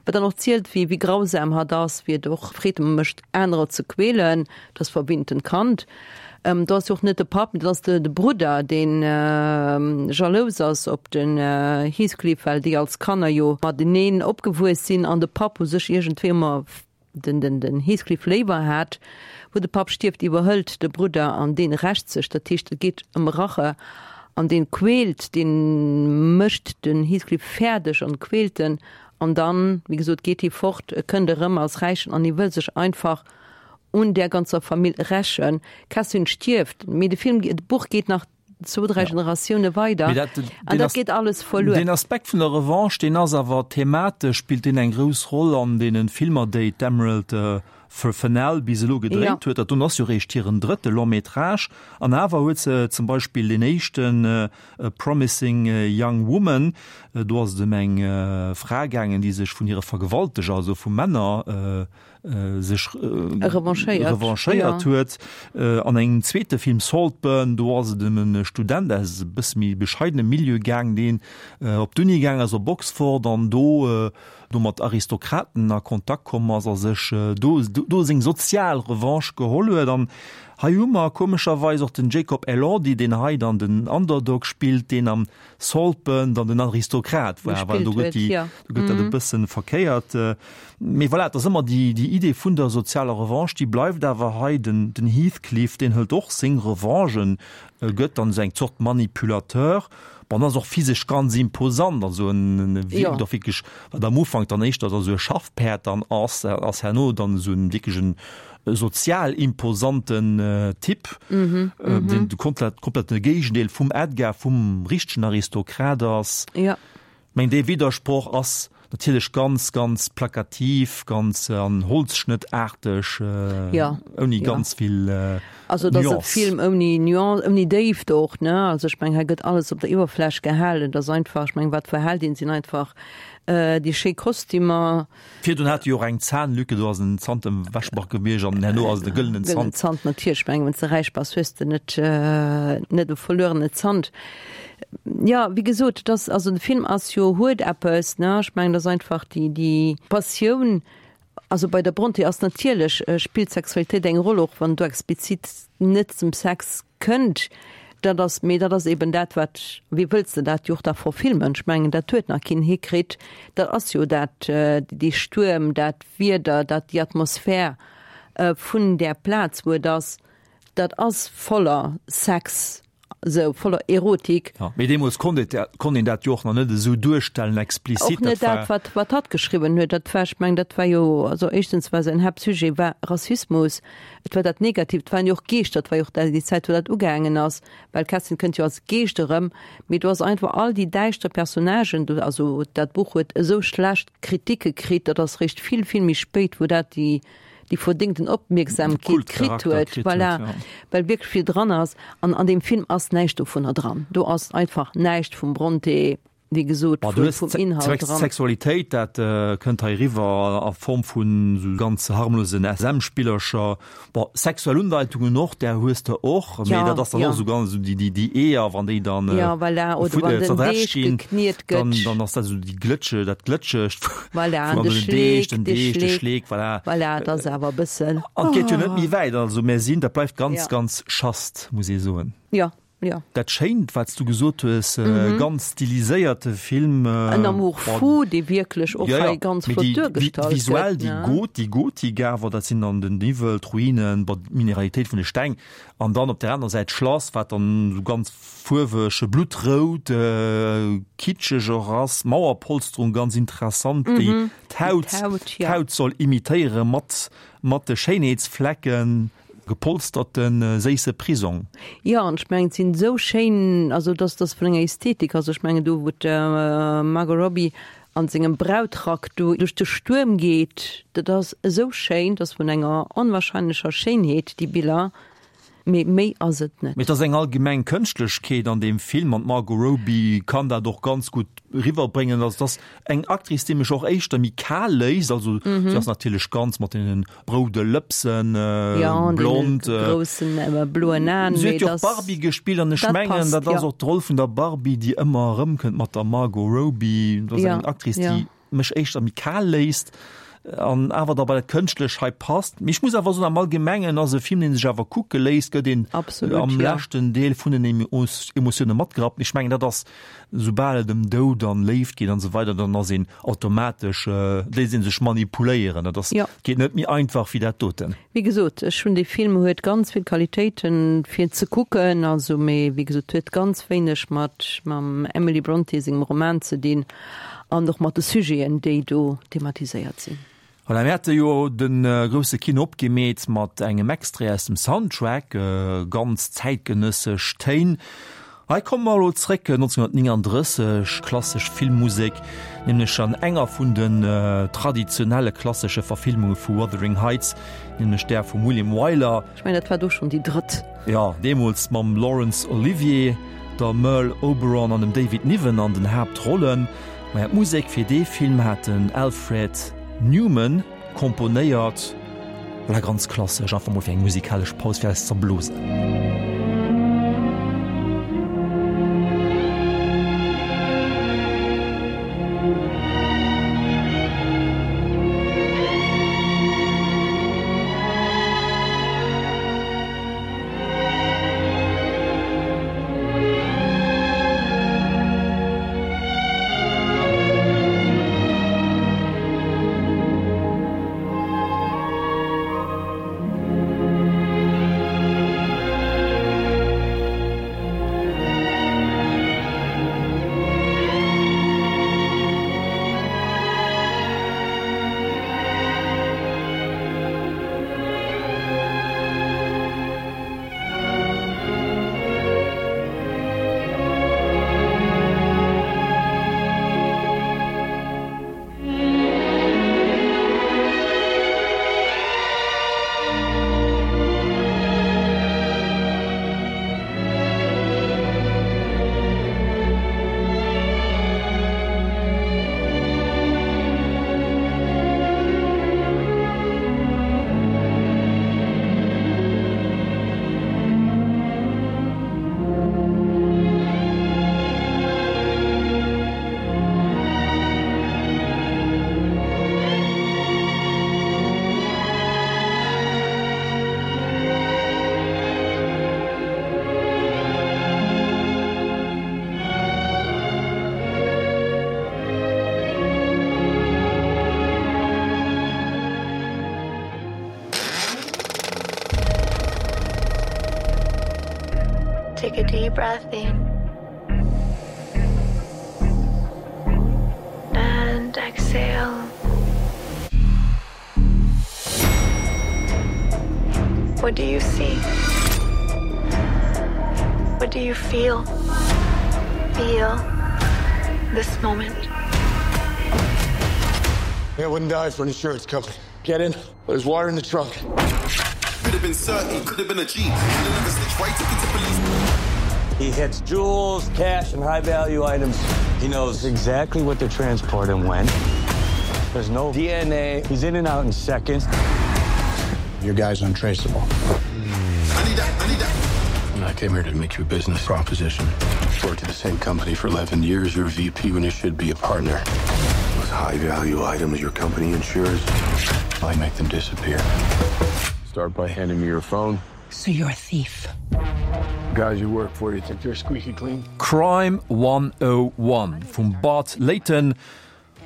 wat dann och zielt, wéi wéi grausam hatt ass, wéi et och Freed mécht, anerer ze quälen. Dat ass verwinntent Kand. Do ass jo och net de Papp, mee dat ass de Brudder, dee jalous ass op den Heathcliff, well déi als Kanner jo mateneen opgewuess sinn an de Papp u sech iergendwéi ëmmer den den den Heathcliff léiwer hat. Wou de Papp stierft, iwwerhëlt de Brudder an dee rächt sech. Dat heescht, et geet ëm Rache an dee quält, dee mécht den Heathcliff fäerdeg an quält en. An dann, wéi gesot, geet hie fort, e kënnt erëm als Räichen an hie wëll sech einfach un där ganzer Famill rächen. D'Catherine stierft, mee de Film, d'Buch geet nach zwou, dräi Generatioune weider an dat geet alles verluer. Deen Aspekt vun der Revanche, deen ass awer thematesch, spillt deen eng grouss Roll an deene Filmer, déi d'Emerald Fennell bis elo gedréit huet. Dat doen ass jo réischt hiren drëtte Long-métrage an awer huet se zum Beispill deen éischten A Promising Young Woman, do ass et ëm eng Fra gaangen, déi sech vun hire Vergewalteger, also vu Männer, sech revanchéiert huet. An engem zweete Film Saltburn, do ass et ëm e Student aus e bësse méi bescheidenem Milieu gaang, deen op d'Uni gaang ass op Oxford an do do mat Aristokraten a Kontakt komm ass a sech do do seng sozial Revanche geholl huet. An hei hu mer komescherweis och den Jacob Elordi, deen hei dann den Underdog spillt, deen am Saltburn dann den Aristokrat war, well do gëtt déi, do gëtt dat e bëssen verkéiert. Mee voilà, et ass ëmmer déi, déi Idee vun der sozialer Revanche, déi bleift awer hei. Den, den Heathcliff, deen hëlt och seng Revanchen, gëtt dann esou eng Zort Manipulateur. Bon, ass och physesch ganz imposant, also en, en wierkt och wierklech, wat am Ufank dann éischter da sou e Schaffpäerd dann ass, ass herno dann esou en wierklech en sozial imposanten Typ, deen de komplett, komplette Géigendeel vum Edgar, vum richtegen Aristokrat ass. Ja. Meng dee Widdersproch ass natierlech ganz, ganz plakativ, ganz an Holzschnëttarteg, ja. ouni ja. ganz vill äh, Also dat ass e Film ouni Nuance, ouni Déift och, ne? Also ech meng hei gëtt alles op der Iwwerfläch gehalen, dat ass einfach, ech meng wat verhält een, sinn einfach äh, déi schéi Kostümer, Virdrun hat e jo och eng Zahnlücke, do ass en Zant ewechgebrach gewiescht an herno ass et e gëllenen Zant. Gëllenen Zant, natierlech. Ech mengen, wann s de räich bass, hues de net, net e verluerene Zant. Jo, wéi gesot, et ass, also de Film ass jo, huet eppes, ne? Ech mengen, et ass einfach déi, déi Passioun, also bei der Brontë ass natierlech, spillt d'Sexualitéit eng Roll, och wann do explizit net zum Sex Kënnt, dat ass, mee dat ass eben dat, wat, wéi wëlls de dat jo och da verfilmen? Ech mengen, dat huet nach keen hikritt. Dat ass jo dat, dee Stuerm, dat Wieder, dat, déi Atmosphär vun där Plaz, wou et ass, dat ass voller Sex, esou voller Erotik. Jo, mee deemools konnt et, konnt een dat jo och nach net esou duerstellen explizit. Och net dat, wat, wat hatt geschriwwen huet. Dat war, ech mengen, dat war jo, also éischtens war säin Haaptsujet war Rassismus. Et war dat Negatiivt, et waren jo och Geeschter, et war jo och déi Zäit, wou dat ugaangen ass, well d'Kerstin kënnt jo als Geescht erëm, mee do ass einfach all déi däischter Personnagen do, also dat Buch huet esou schlecht Kritike kritt, dat ass réischt vill, vill méi spéit, wou dat déi, déi verdéngten Opmierksamkeet kritt huet, voilà, well wierklech vill dran ass. An an deem Film ass näischt dovunner dran, do ass einfach näischt vum Brontë. Wéi gesot, vum, vum Inhalt dran. Sexualitéit, dat kënnt hei eriwwer a Form vun esou ganz harmlosen SM-Spillercher. Bon, sexuell Undeitungen och, där hues de och, mee dat ass dann och esou ganz esou déi, déi, déi Eeër, wann déi dann ja, voilà, oder wann den Deeg gekniet gëtt. Dann, dann ass dat esou déi Glëtsche, dat Glëtschegt. Voilà, an de Schleek, den Deeg, de Schleek, voilà. Voilà, dat ass awer e bëssen. An et geet jo net méi wäit, also mär sinn, dat bleift ganz, ganz chast, muss ee soen. Jo. Ja. Dat Schéint, wat s du gesot hues, ganz stiliséierte Film. En Amour fou, dee wierklech och hei ganz flott duergestallt gëtt. Visuell déi Got, déi Gotik awer, dat sinn dann den Niwwel, d'Ruinen, bon, d'Mineralitéit vun de Steng an dann op der anerer Säit d'Schlass, wat dann esou ganz fuerweg, bluttrout, kitscheg och ass, d'Mauerpolsterung ganz interessant, déi d'Haut, d'Haut soll imitéiere mat, mat de Schéinheetsflecken. Gepolsterte séisse Prisong. Jo, an ech mengen, et sinn esou schéin, also dass dass vun enger Ästhetik, also ech mengen do wou d'Margot Robbie an sengem Brautrack do duerch de Stuerm geet, dat ass esou schéin, dat ass vun enger onwahrscheinlecher Schéinheet déi Biller. Mee méi ass et net. Mee et ass eng allgemeng Kënschtlechkeet an deem Film an d'Margot Robbie kann dat och ganz gutt riwwerbréngen. Also et ass eng Actrice, déi mech och éischter méi kal léisst. Also si ass natierlech ganz mat deene roude Lëpsen, blond. Jo, an deene groussen bloen Aen. Si huet jo och d'Barbie gespillt an ech mengen, dat ass och d'Roll vun der Barbie, déi ëmmer erëmkënnt mat der Margot Robbie. Dat ass eng Actrice, déi mech éischter méi kal léisst an awer da bei dat Kënschtlech hei passt. Mee ech muss awer soen, am Allgemengen ass e Film, deen sech awer kucke léisst, gëtt een Absolut, am ja. leschten Deel vun den Emotioune matgerappt. Mee ech mengen, dat ass, soubal et ëm Doud an Léift geet an esou weider, dann ass een automatesch, léisst ee sech manipuléieren. Dat ass, Ja. geet net méi einfach wéi dat doten. Wéi gesot, ech hunn dee Film huet ganz vill Qualitéiten fir ze kucken, also mee wéi gesot huet ganz wéineg mat mam Emily Brontë sengem Roman ze dinn an och mat de Sujeten déi do thematiséiert sinn. Voilà, mir hate jo de grousse Kino opgemeet mat engem Extrait aus dem Soundtrack, ganz zäitgenëssesch Téin. Hei komme mer elo zréck 1939, klassesch Filmmusek, nämlech an enger vun den traditionelle klassesche Verfilmunge vu Wuthering Heights, nämlech där vum William Wyler. Ech mengen, dat war do schonn déi drëtt. Jo, deemools mam Laurence Olivier, der Merle Oberon an dem David Niven an den Haaptrollen. Maja, d'Musek fir dee Film hat den Alfred Newman komponéiert. Voilà, ganz klassesch, einfach mol fir eng musikalesch Paus fir eis zerblosen. Take a deep breath in and exhale. What do you see? What do you feel? Feel this moment. I wouldn't die for an insurance company. Get in. There's water in the trunk. Could have been certain, could have been a G. Right to the police. He hits jewels, cash, and high-value items. He knows exactly what to transport and when. There's no DNA. He's in and out in seconds. Your guy's untraceable. I need that, I need that. I came here to make you a business proposition. Worked at the same company for 11 years. You're a VP when you should be a partner. Those high-value items your company insures, I make them disappear. Start by handing me your phone. So you're a thief. Guys you work for, you think they're squeaky clean? Crime 101 vum Bart Layton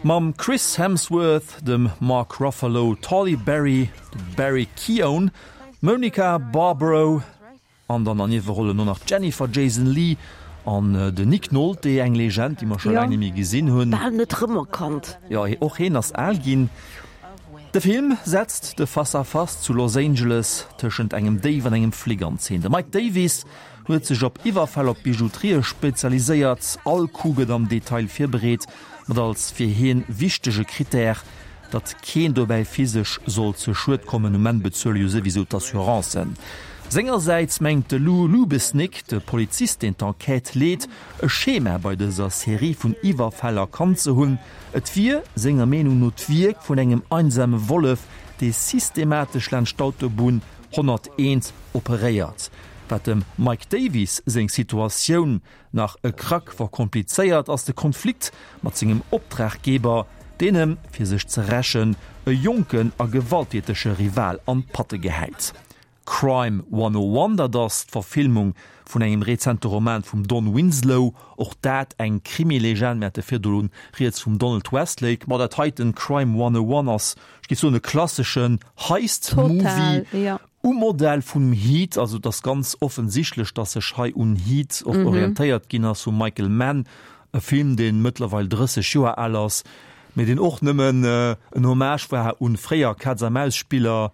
mam Chris Hemsworth, dem Mark Ruffalo, Tolly Berry, Barry Keoghan, Monica Barbaro an dann an Niewerollen och nach d'Jennifer Jason Leigh an den Nick Nolte, eng Legend, déi mer scho laang net méi gesinn hunn. Bal net rëmerkannt. Jo, och heen ass al ginn. De Film setzt de Face-à-Face zu Los Angeles tëschent engem Déif an engem Flic an Zeen. De Mike Davis huet sech op Iwwerfäll op Bijouterië spezialiséiert. All Coup gëtt am Detail virbereet, mat als fir hien wichtege Critère, datt keen dobäi physesch soll zu Schued kommen. Um Enn bezuele jo souwisou d'Assurancen. Sengersäits mengt de Lou Lubesnick, de Polizist deen d'Enquête leet, e Schema bei dëser Serie vun Iwwerfäll erkannt ze hunn. Et wier senger Meenung no d'Wierk vun engem einsame Wollef, dee systematesch laanscht d'Autobunn 101 operéiert. Wat dem Mike Davies seng Situatioun nach e Krack verkomplizéiert, ass de Konflikt mat sengem Optraggeber, deen em, fir sech ze rächen, e jonken a gewalttätege Rival an d'Patte gehäit. Crime 101, dat ass d'Verfilmung vun engem rezente Roman vum Don Winslow, och dat eng Krimi-Legend, mir hate virdru rieds vum Donald Westlake. Ma dat heiten, Crime 101, ass, ech géif soen, e klasseschen Heist-Movie um Modell vum Heat. Also et ass ganz offensichtlech, datt sech hei un Heat och orientéiert ginn ass vum Michael Mann, E Film, dee mëttlerweil 30 Joer al ass, mee deen och nëmmen en Hommage war un fréier Kaz-a-Maus-Spiller,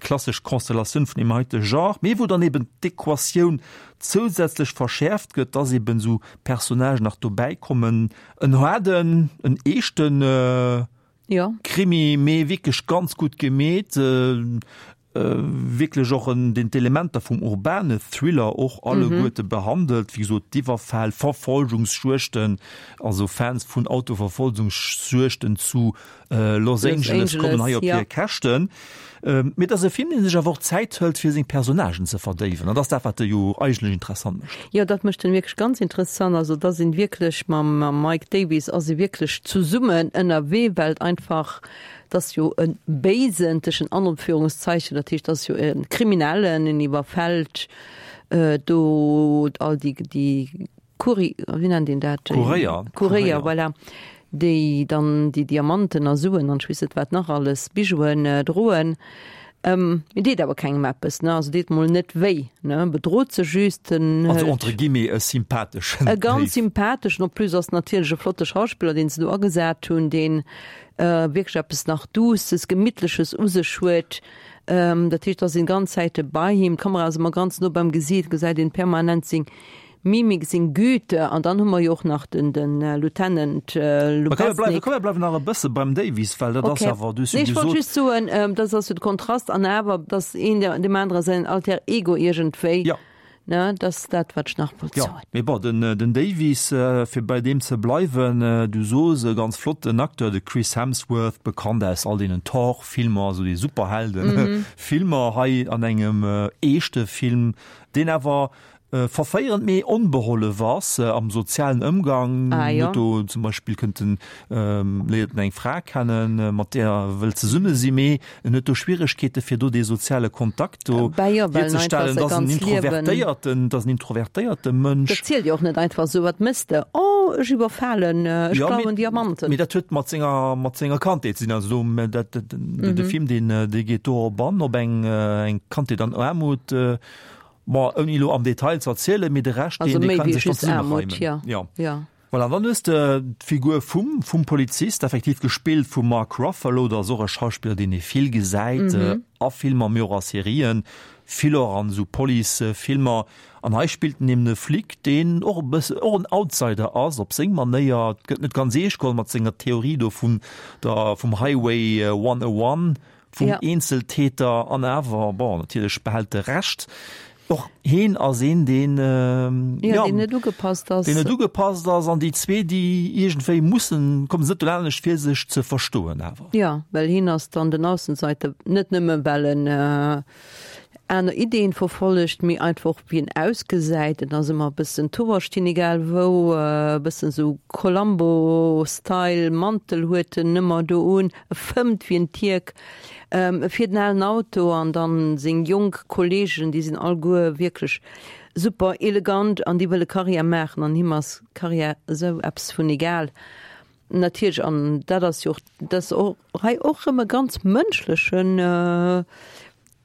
klassesch Konstellatioun vun deem heite Genre, mee wou dann eben d'Equatioun zousätzlech verschäerft gëtt, dass eben esou Personnagen nach dobäi kommen. En haarden, en eeschten Krimi, mee wierklech ganz gutt gemeet. Wierklech och en, deen d'Elementer vum urbane Thriller och alleguerte behandelt, wéi gesot d'Iwwerfäll, Verfolgungsjuegten, also Fans vun Autoverfolgungsjuegten zu Los Angeles kommen hei op hir Käschten. Mee et ass e Film, dee sech awer och Zäit hëlt, fir seng Personnagen ze verdéiwen, an dat ass dat, wat e jo eigentlech interessant mécht. Jo, dat mécht en wierklech ganz interessant. Also et ass een wierklech mam Mike Davies ass ee wierklech zesummen ënnerwee, well et einfach 't ass jo e Béisen, tëschent Anführungszeichen, dat heescht, 't ass jo e Kriminellen, en iwwerfält do all déi, déi Couri-, wéi nennt een dat? Kuréier. Kuréier, voilà, déi dann déi Diamanten a Suen an ech weess net wat nach alles, Bijouen droen. Mee deet awer kengem eppes, ne? Also deet mol net wéi, ne? Bedrot se just, en Also entre guillemets e sympatheschen E ganz sympatheschen, en plus ass natierlech e flotte Schauspiller, deen se do agesat hunn, deen wierklech eppes nach Duusses, Gemittleches u sech huet. Dat heescht, et ass een ganz Zäite bei him, d'Kamera ass ëmmer ganz no beim Gesiit, gesäit een permanent seng Mimik, seng Güte. An dann hu mer jo och nach den, den Lieutenant Lubeznik. Komm, mir bleiwen nach e bësse beim Davies, well dat ass awer, du hues jo gesot. Nee, ech wollt just soen, dat ass jo de Kontrast an awer, dass een deem anere säin Alter Ego iergendwéi. Jo. Ne, dat ass dat, wat ech nach wollt soen. Jo, mee bon, den, den Davies, fir bei deem ze bleiwen, du sos, e ganz flotten Acteur, de Chris Hemsworth, bekannt aus all deenen Thor-Filmer, also déi Superhelden-Filmer, hei an engem eeschte Film, deen awer verféierend mee onbehollef ass am sozialen Ëmgang. Ah, jo. Huet do zum Beispill kënnt en, léiert en eng Fra kennen, mat där e wëllt zesumme sinn, mee En huet do Schwieregkeete fir do dee soziale Kontakt do Bah jo, well en einfach hierzestellen. säi Dat ass en ganz Liewen. introvertéierten, dat ass en introvertéierte Mënsch. Dat zielt jo och net einfach esou, wat mëss de? Oh, ech iwwerfalen, ech Ja, mee, klauen Diamanten. mee dat huet mat senger, mat senger Kandheet ze dinn. Also do, mä dat, dat, de, de Film, deen, dee geet dorop an, op eng, eng Kandheet an Aarmut. Bon, ouni elo am Detail ze erzielen, mee de Rescht, Also deen, dee méi kann wéi sech dann just Aarmut, zesummereimen. jo. Ja. Jo. Voilà, an dann hues de d'Figur vum, vum Polizist, effektiv gespillt vum Mark Ruffalo, dat ass och e Schauspiller, deen ee vill gesäit, a Filmer, mee och a Serien, vill och an esou Police-Filmer. An hei spillt en eben e Flic, deen och e bësse, och en Outsider ass op seng Manéier, et gëtt net ganz eescht geholl mat senger Theorie do vun der, vum Highway 101, vum Ja. Eenzeltäter an awer, bon, natierlech behält e Recht. Och heen ass een, deen, Ja, ja, deen net ugepasst ass. Deen net ugepasst ass an déi zwee, déi iergendwéi mussen, kommen se net dolaanescht fir sech ze verstoen awer. Ja, well hien ass dann den Aussenseiter, net nëmme well en aner Ideen verfollegt, mee einfach och wéi en ausgesäit. En ass ëmmer e bëssen towerstin, egal wou, e bëssen esou Columbo-Style, Mantel huet en ëmmer do un, e fëmmt wéi en Tierk, e fiert en alen Auto an dann seng jonk Kollegen, déi sinn alleguer wierklech super elegant an déi wëlle Karriär maachen an him ass Karriär esou eppes vun egal. Natierlech, an dat ass jo och, dat ass och hei och erëm e ganz mënschlechen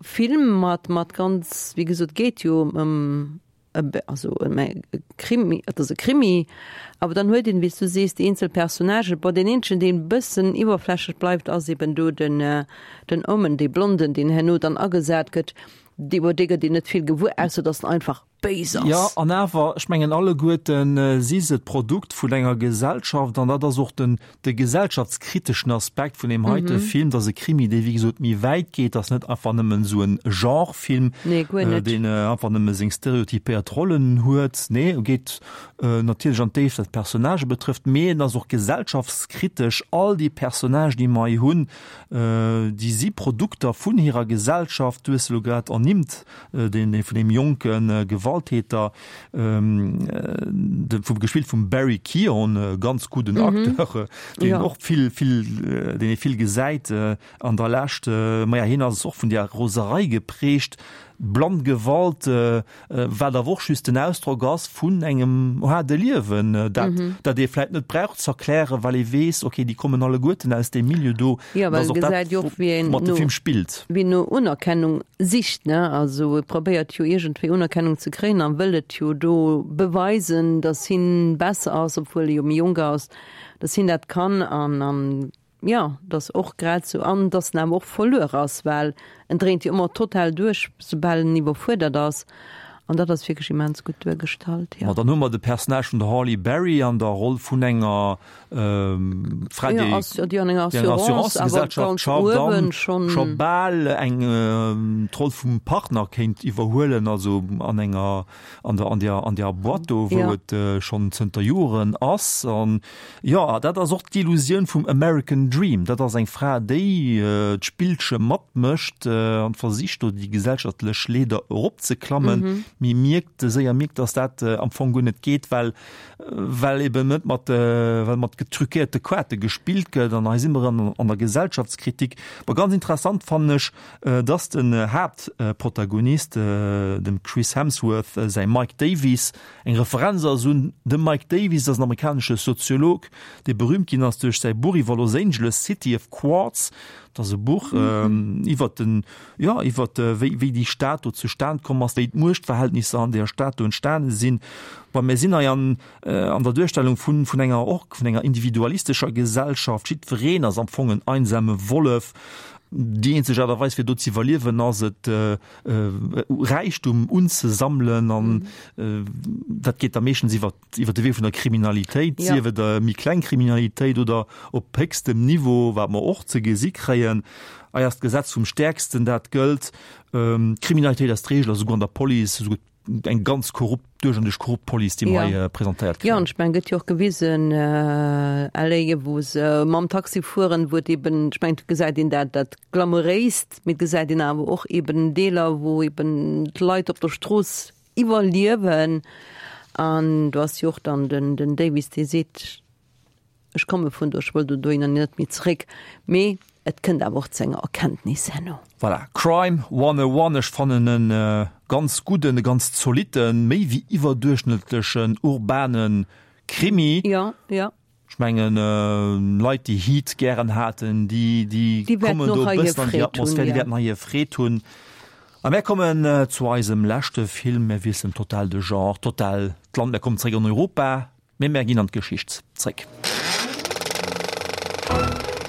Film mat, mat ganz, wéi gesot, geet jo ëm also ëm e Krimi, et ass e Krimi, awer dann huet een, wéi s du sees, déi eenzel Personnagen. Bon, deen eenzegen, deen e bëssen iwwerflächlech bleift, ass eben do den, den Omen, dee Blonden, deen herno dann agesat gëtt. Iwwer dee gëtt een net vill gewuer, ausser datt en einfach. béis ass. Jo, an awer, ech mengen, alleguerten si se d'Produkt vun enger Gesellschaft an dat ass och den, de gesellschaftskriteschen Aspekt vun deem heite Film. Dat ass e Krimi, dee wéi gesot méi wäit geet, dat ass net einfach nëmmen esou e Genrefilm, deen einfach nëmme seng stereotypéiert Rollen huet. Nee, e geet natierlech an d'Déift, wat d'Personnagë betrëfft, mee en ass och gesellschaftskritesch. All déi Personnagen, déi mer hei hunn, déi si Produkter vun hirer Gesellschaft. Du hues se elo grad ernimmt, deen vun deem jonke Gewalttäter, de vu gespillt vum Barry Keoghan, e ganz gudden Acteur, deen och vill, vill, deen ee vill gesäit an der Lescht. Maja, hien ass och vun där Roserei geprägt, blann Gewalt, wat awer och just den Ausdrock ass vun engem haarde Liewen, dat, dat ee vläit net brauch z'erklären, well ee weess, okay, déi kommen alleguerten aus deem Milieu do. Jo, well e gesäit jo och, wéi een woumat de Film spillt. Wéi no Unerkennung sicht, ne? Also e probéiert jo iergendwéi Unerkennung ze kréien a wëll et jo do beweisen, datt hien besser ass, obwuel e jo méi jonk ass, datt hien dat kann an, an jo, datt och grad sou, an datt en awer och verluer ass, well en dréint jo ëmmer total duerch, soubal en iwwerfuerdert ass. An dat ass wierklech immens gutt duergestallt, jo. Ma dann hu mer de Personnage vun der Halle Berry an der Roll vun enger Fra, déi an enger Assurancegesellschaft schafft an scho bal eng d'Roll vum Partner kéint iwwerhuelen, also an enger an der an der an der Boîte do, wou et schonn zënter Joren ass. An jo, dat ass och d'Illusioun vum American Dream. Dat ass eng Fra, déi d'Spillche matmécht an versicht do déi gesellschaftlech Leeder eropzeklammen, mee mierkt séier mierkt, datt dat am Fong guer net geet, well well eben net mat well mat getruquéierte Kaarte gespillt gëtt an hei si mer an an der Gesellschaftskritik. Bon, ganz interessant fannen ech, dass den Haaptprotagonist, dem Chris Hemsworth säi Mike Davies, eng Referenz ass un de Mike Davies, dat ass en amerikanesche Soziolog, dee berühmt ginn ass duerch säi Buch iwwer Los Angeles, City of Quartz. Dat ass e Buch iwwer den, jo, iwwer wéi wéi déi Stad do zustan komm ass, wéi d'Muechtverhältnisser an deeër Stad do entstane sinn. Bon, mir sinn hei an an der Duerstellung vun vun enger och vun enger individualistescher Gesellschaft. Jiddwereen ass am Fong en einsame Wollef. Déi eenzeg Aart a Weis fir do ze iwwerliewen ass et Räichtum unzesammelen an dat geet da meeschtens iwwer iwwer de Wee vun der Kriminalitéit, sief et méi kleng Kriminalitéit oder op héchstem Niveau, wat mer och ze gesi kréien. Hei ass d'Gesetz vum Stäerksten, dat gëllt. Kriminalitéit ass d'Reegel, esouguer an der Police, esouguer eng ganz korrupt, duerch an duerch korrupt Police, déi mer hei presentéiert kréien. Jo, an ech mengen, gëtt jo och gewisen, LA, wou se mam Taxi fueren, wou et eben, ech mengen, et gesäit een dat, dat Glamouréist, mee et gesäit een awer och eben Deeler, wou eben d'Leit op der Strooss iwwerliewen. An do ass jo och dann den, den Davies, dee seet, Ech komme vun do, ech wëll do dohinner net méi zeréck. Mee et kënnt awer och zu enger Erkenntnis herno. Voilà, Crime 101, ech fannen e ganz gudden, e ganz zolitten, méi wéi iwwerduerchschnëttlechen urbane Krimi. Jo, jo. Ech mengen, Leit, déi Heat gären haten, déi, déi kommen do e bëssen an déi Atmosphär, déi wäerten hei hir Freed hunn. A mär kommen zu eisem leschte Film. Mär wiesselen total de Genre, total d'Land, mär kommen zeréck an Europa. Mee mär ginn an d'Geschicht zréck.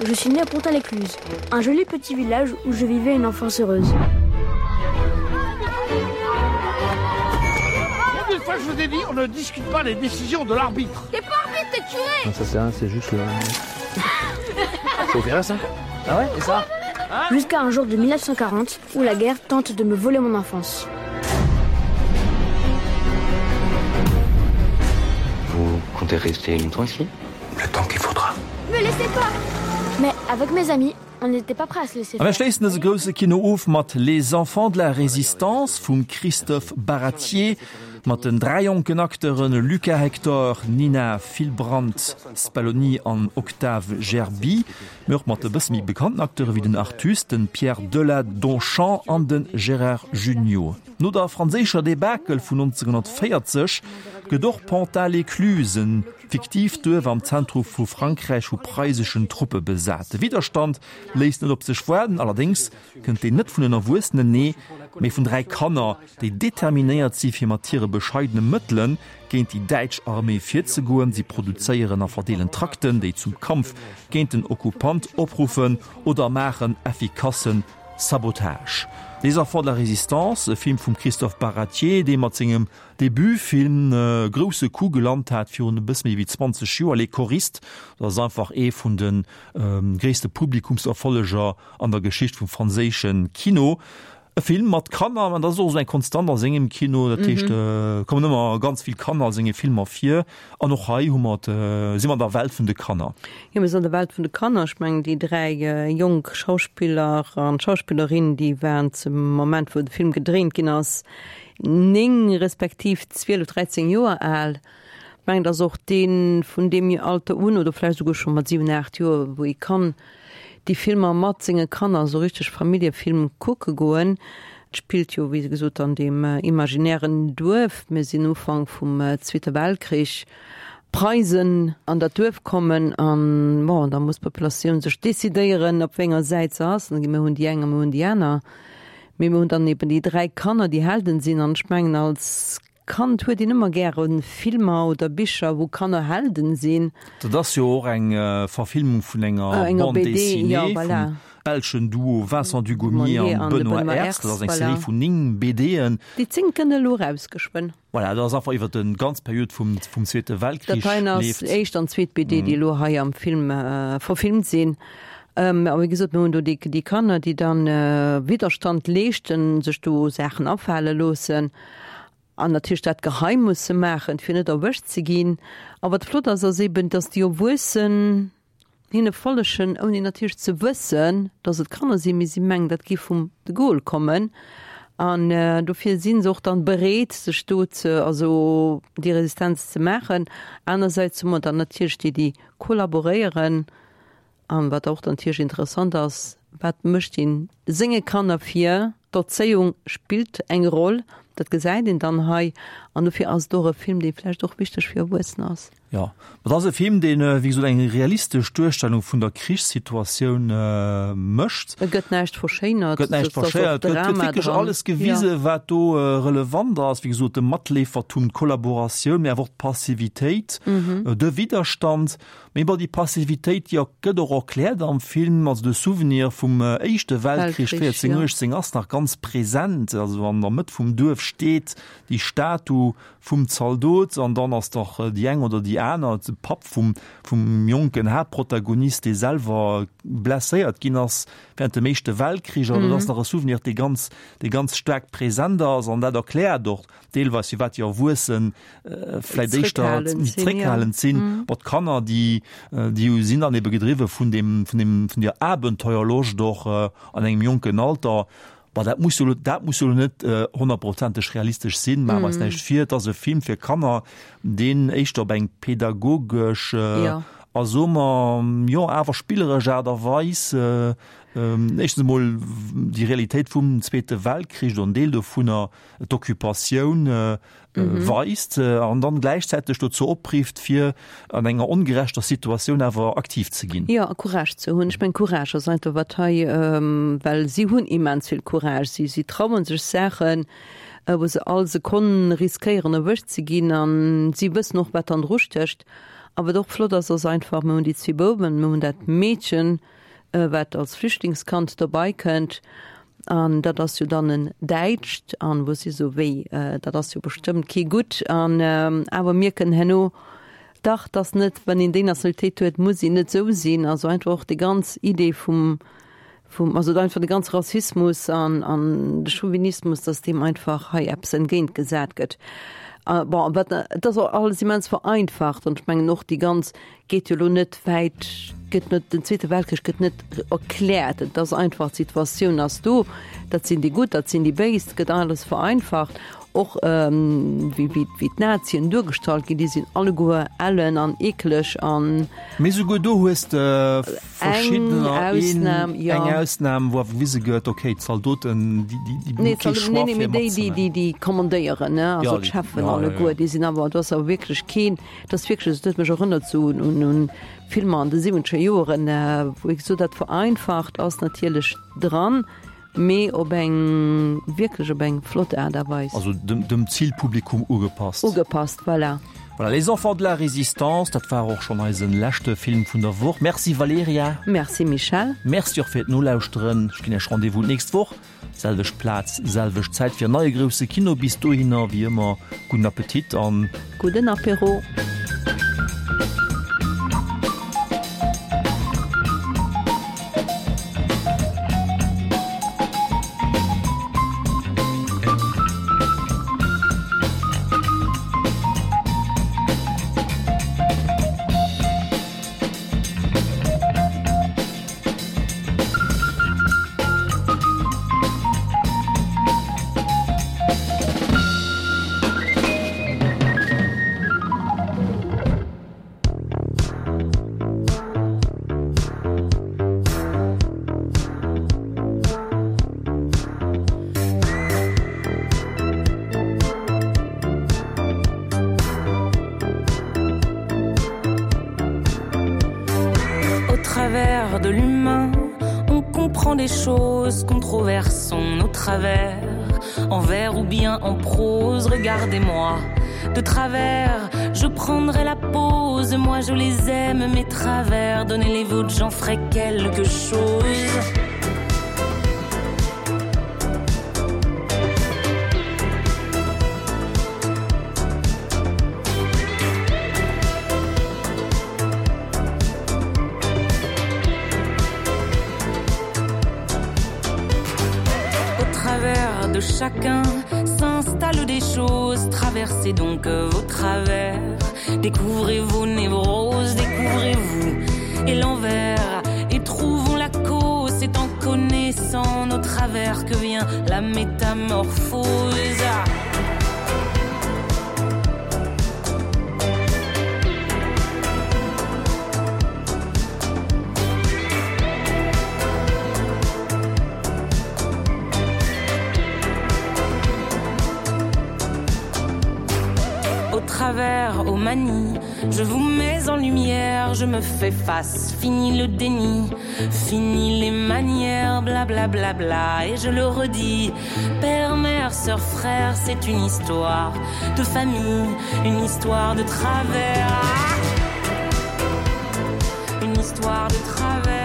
Je suis né à Pontalécluse, un joli petit village où je vivais une enfance heureuse. Combien de fois je vous ai dit, on ne discute pas les décisions de l'arbitre. T'es pas arbitre, t'es curé Non, ça c'est rien, c'est juste le... C'est opéré ça Ah ouais, et ça Jusqu'à un jour de 1940 où la guerre tente de me voler mon enfance. Vous comptez rester longtemps ici Le temps qu'il faudra. Me laissez pas Mais avec mes amis, on n'était pas prêt à se laisser A mir schléissen dëse grousse Kino of mat Les enfants de la résistance vum Christophe Baratier, mat den 3 jonken Acteuren Lucas Hector, Nina Fillbrandt Spaloni an Octave Gerby, mee och mat e bësse méi bekannten Acteure wéi den Artus, de Pierre Deladonchamps an de Gérard Jugnot. No der franséischer Debakel vun 1940 gëtt och Pontalécluse, e fiktiivt Duerf am Zentrum vu Frankräich, vu preiseschen Truppe besat. De Widderstand léisst net op sech waarden, allerdéngs kënnt deen net vun den Erwuessenen, nee, mee vun 3 Kanner, déi determinéiert si fir mat hire bescheidene Mëttele géint déi däitsch Arméi virzegoen. Si produzéieren a verdeelen Trakten, déi zum Kampf géint den Okkupant opruffen oder maachen effikasse Sabotage. Les Enfants de la Résistance, e Film vum Christophe Baratier, dee mat sengem Debutfilm e grousse Coup gelant hat virun e bësse méi wéi 20 Joer, Les Choristes. Dat ass einfach ee vun de gréisste Publikumserfolleger an der Geschicht vum franséische Kino. E Film mat Kanner, an dat ass och esou eng Konstant a sengem Kino, dat heescht, et kommen ëmmer ganz vill Kanner a senge Filmer vir. An och hei hu mer, si mer an der Welt vun de Kanner. Jo, mir sinn an der Welt vun de Kanner. Ech mengen, déi 3 jonk Schauspiller an d'Schauspillerin, déi waren zum Moment, wou de Film gedréint ginn ass, 9 respektiv 12, 13 Joer al. Ech mengen, et ass och dee vun deem Alter un, oder vläicht esouguer scho mat 7, 8 Joer, wou ee kann déi Filmer mat senge Kanner, esou richteg Familljefilm kucke goen. Et spillt jo, wéi gesot, an deem imaginären Duerf. Mir sinn Ufank vum Zweete Weltkrich. D'Preisen an dat Duerf kommen an, bon, da muss d'Populatioun sech decidéieren, op wéi enger Säit se ass. Mir hunn déi eng a mir hunn déi aner. Mee mir hunn dann eben déi 3 Kanner, déi Helden sinn. An ech mengen, als Kand huet een ëmmer gäre Filmer oder Bicher, wou Kanner Helden sinn. Dat ass jo och eng Verfilmung vun enger Bande dessinée vum belschen Duo Vincent Dugommier an Benoît Aerts. Dat ass eng Serie vun 9 BDen. Déi 10 kënne elo eraus geschwënn. Voilà, dat ass einfach iwwer déi ganz Period vum Zweete Weltkrich leeft. Dat heien ass éischt an zweet BD, déi elo hei am Film verfilmt sinn. A wéi gesot, mir hunn do déi Kanner, déi dann Widderstand leeschten, sech do Saachen afale loossen. An natierlech dat geheim musse maachen, fir net erwëscht ze ginn. A wat flott ass, ass eben, dass déi Erwuessen hinne follegen, ouni natierlech ze wëssen, dass et Kanner sinn, mee si mengen, dat géif vum de Gaulle kommen. An dofir si se och dann bereet, sech do ze, also déi Resistenz ze maachen. Anersäits hu mer dann natierlech déi, déi kollaboréieren. An wat och natierlech interessant ass, wat mécht een senge Kanner vir? D'Erzéiung spillt eng Roll, dat gesäit een dann hei. An dofir ass et och e Film, dee vläicht och wichteg fir Erwuessener ass. Jo, et ass e Film, deen, wéi gesot, eng realistesch Duerstellung vun der Krichssituatioun mécht. Et gëtt näischt verschéinert. Gëtt näischt verschéinert, et gëtt wierklech alles gewisen, wat do relevant ass. Wéi gesot, de Matleefertum, d'Kollaboratioun, mee awer och d'Passivitéit, de Widderstand. Mee bon, déi Passivitéit, déi gëtt och erkläert am Film. Also de Souvenir vum Éischte Weltkrich 14, 18 ass nach ganz present. Also an der Mëtt vum Duerf steet déi Statu vum Zaldot an dann ass dach déi eng oder déi aner, de Papp vum vum jonken Haaptprotagonist, dee selwer blesséiert ginn ass während dem Éischte Weltkrich. Also dat ass nach e Souvenir, dee ganz, dee ganz staark present ass an dat erkläert och deelweis firwat déi Erwuessen vläit éischter méi zréckhalend sinn. Bon, d'Kanner, déi, déi sinn dann ebe gedriwwe vun deem, vun deem, vun der Abenteuerloscht och an engem jonken Alter. Bon, dat muss jo elo, dat muss jo elo net honnertprozenteg realistesch sinn, maache mer eis näischt vir. Et ass e Film fir Kanner, deen éischter op eng pädagogesch a soe mer, jo, awer spilleresch Aart a Weis éischtens emol déi Realitéit vum Zweete Weltkrich oder en Deel dovunner, d'Occupatioun weist an dann gläichzäiteg dozou oprifft, fir an enger ongerechter Situatioun awer aktiv ze ginn. Jo, a Courage ze hunn. Ech mengen, Courage ass einfach wat hei, well si hunn immens vill Courage. Si, si trauen sech Saachen, wou se all Sekonn riskéieren erwëscht ze ginn a si wëssen och, wat dann drustécht. A wat och flott ass, ass einfach, mir hunn déi zwee Bouwen, mir hunn dat Meedchen, wat als Flüchtlingskand dobei kënnt, an dat ass jo dann en Däitscht, an wou si sou, wéi, dat ass jo bestëmmt kee Gutt, an awer mierken herno, dach, 't ass net, wann een déi Nationalitéit huet, muss een net sou sinn. Also einfach och déi ganz Idee vum, vum, also einfach de ganze Rassismus an, an de Chauvinismus, dass deem einfach hei eppes entgéintgesat gëtt. Bon, wat, et ass och alles immens vereinfacht, an ech mengen och déi ganz Geet jo lo net wäit, gëtt net, den Zweete Weltkrich gëtt net erkläert. Et ass einfach, d'Situatioun ass do, dat sinn déi Gutt, dat sinn déi Béis, et gëtt alles vereinfacht. Och wéi, wéi, wéi d'Nazien duergestallt ginn, déi sinn alleguer ellen an eekeleg an. Mee souguer do hues de verschiddener, een, eng Ausnam, wou awer gewise gëtt, okay, d'Zaldoten, déi, déi, déi hu kee Choix fir matzeman. Nee, déi, déi, déi kommandéieren, ne, also d'Cheffen alleguer, déi sinn awer, do ass awer wierklech keen, Et ass wierklech, et huet mech erënnert sou un un Filmer an de siwwenzeger Joeren, wou ee gesot hat, vereinfacht ass natierlech dran, mee op eng wierklech op eng flott Aart a Weis. Also dem dem Zilpublikum ugepasst. Ugepasst, voilà. Voilà, Les enfants de la résistance, dat war och schonn eisen leschte Film vun der Woch. Merci Valerija. Merci Michel. Merci och fir d'Nolauschteren. Ech ginn Iech Rendez-vous d'nächst Woch, selwecht Plaz, selwecht Zäit fir en neie grousse Kino. Bis dohinner, wéi ëmmer, gudden Appetit an. Gudden Apéro. Au travers de l'humain, on comprend des choses controversons nos travers en vers ou bien en prose regardez-moi de travers je prendrai la pause moi je les aime mes travers donnez les vôtres j'en ferai quelque chose Au travers de chacun s'installent des choses traversez donc vos travers découvrez vos névroses découvrez-vous et l'envers et trouvons la cause c'est en connaissant nos travers que vient la métamorphose Au travers aux manies, je vous mets en lumière, je me fais face, fini le déni, fini les manières, bla bla bla bla et je le redis, père, mère, sœur, frère, c'est une histoire de famille, une histoire de travers. Une histoire de travers.